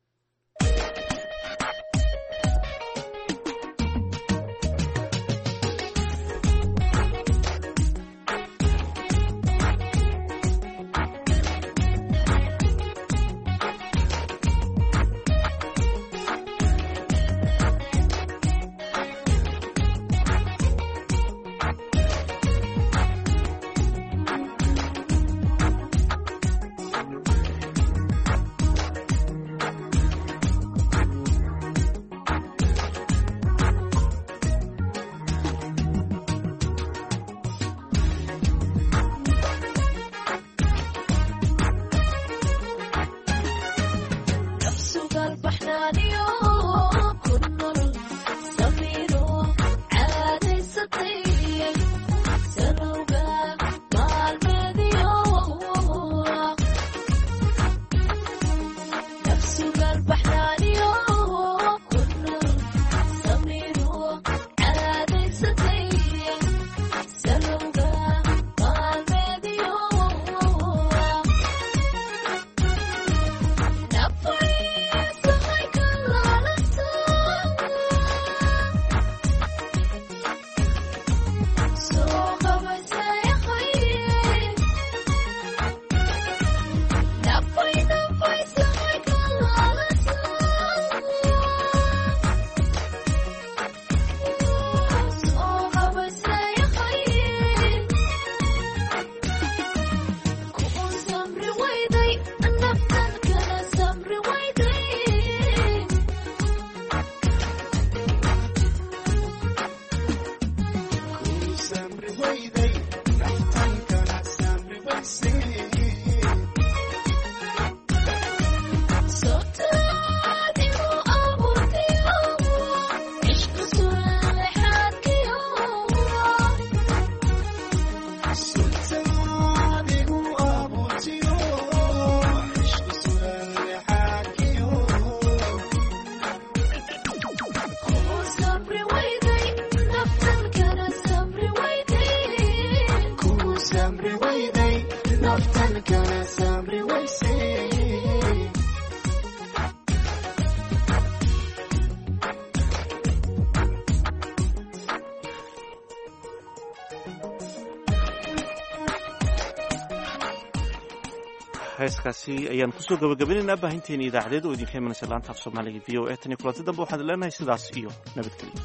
Heeskaasi ayaan kusoo gabagabaynaynaa baahinteena idaacadeed oo idinka imanaysa laanta af Soomaaliga V O A. Tan iyo kulanti dambe waxaan leenahay sidaas iyo nabadgelyo.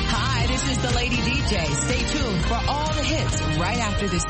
Hi, this is the Lady D J. Stay tuned for all the hits right after this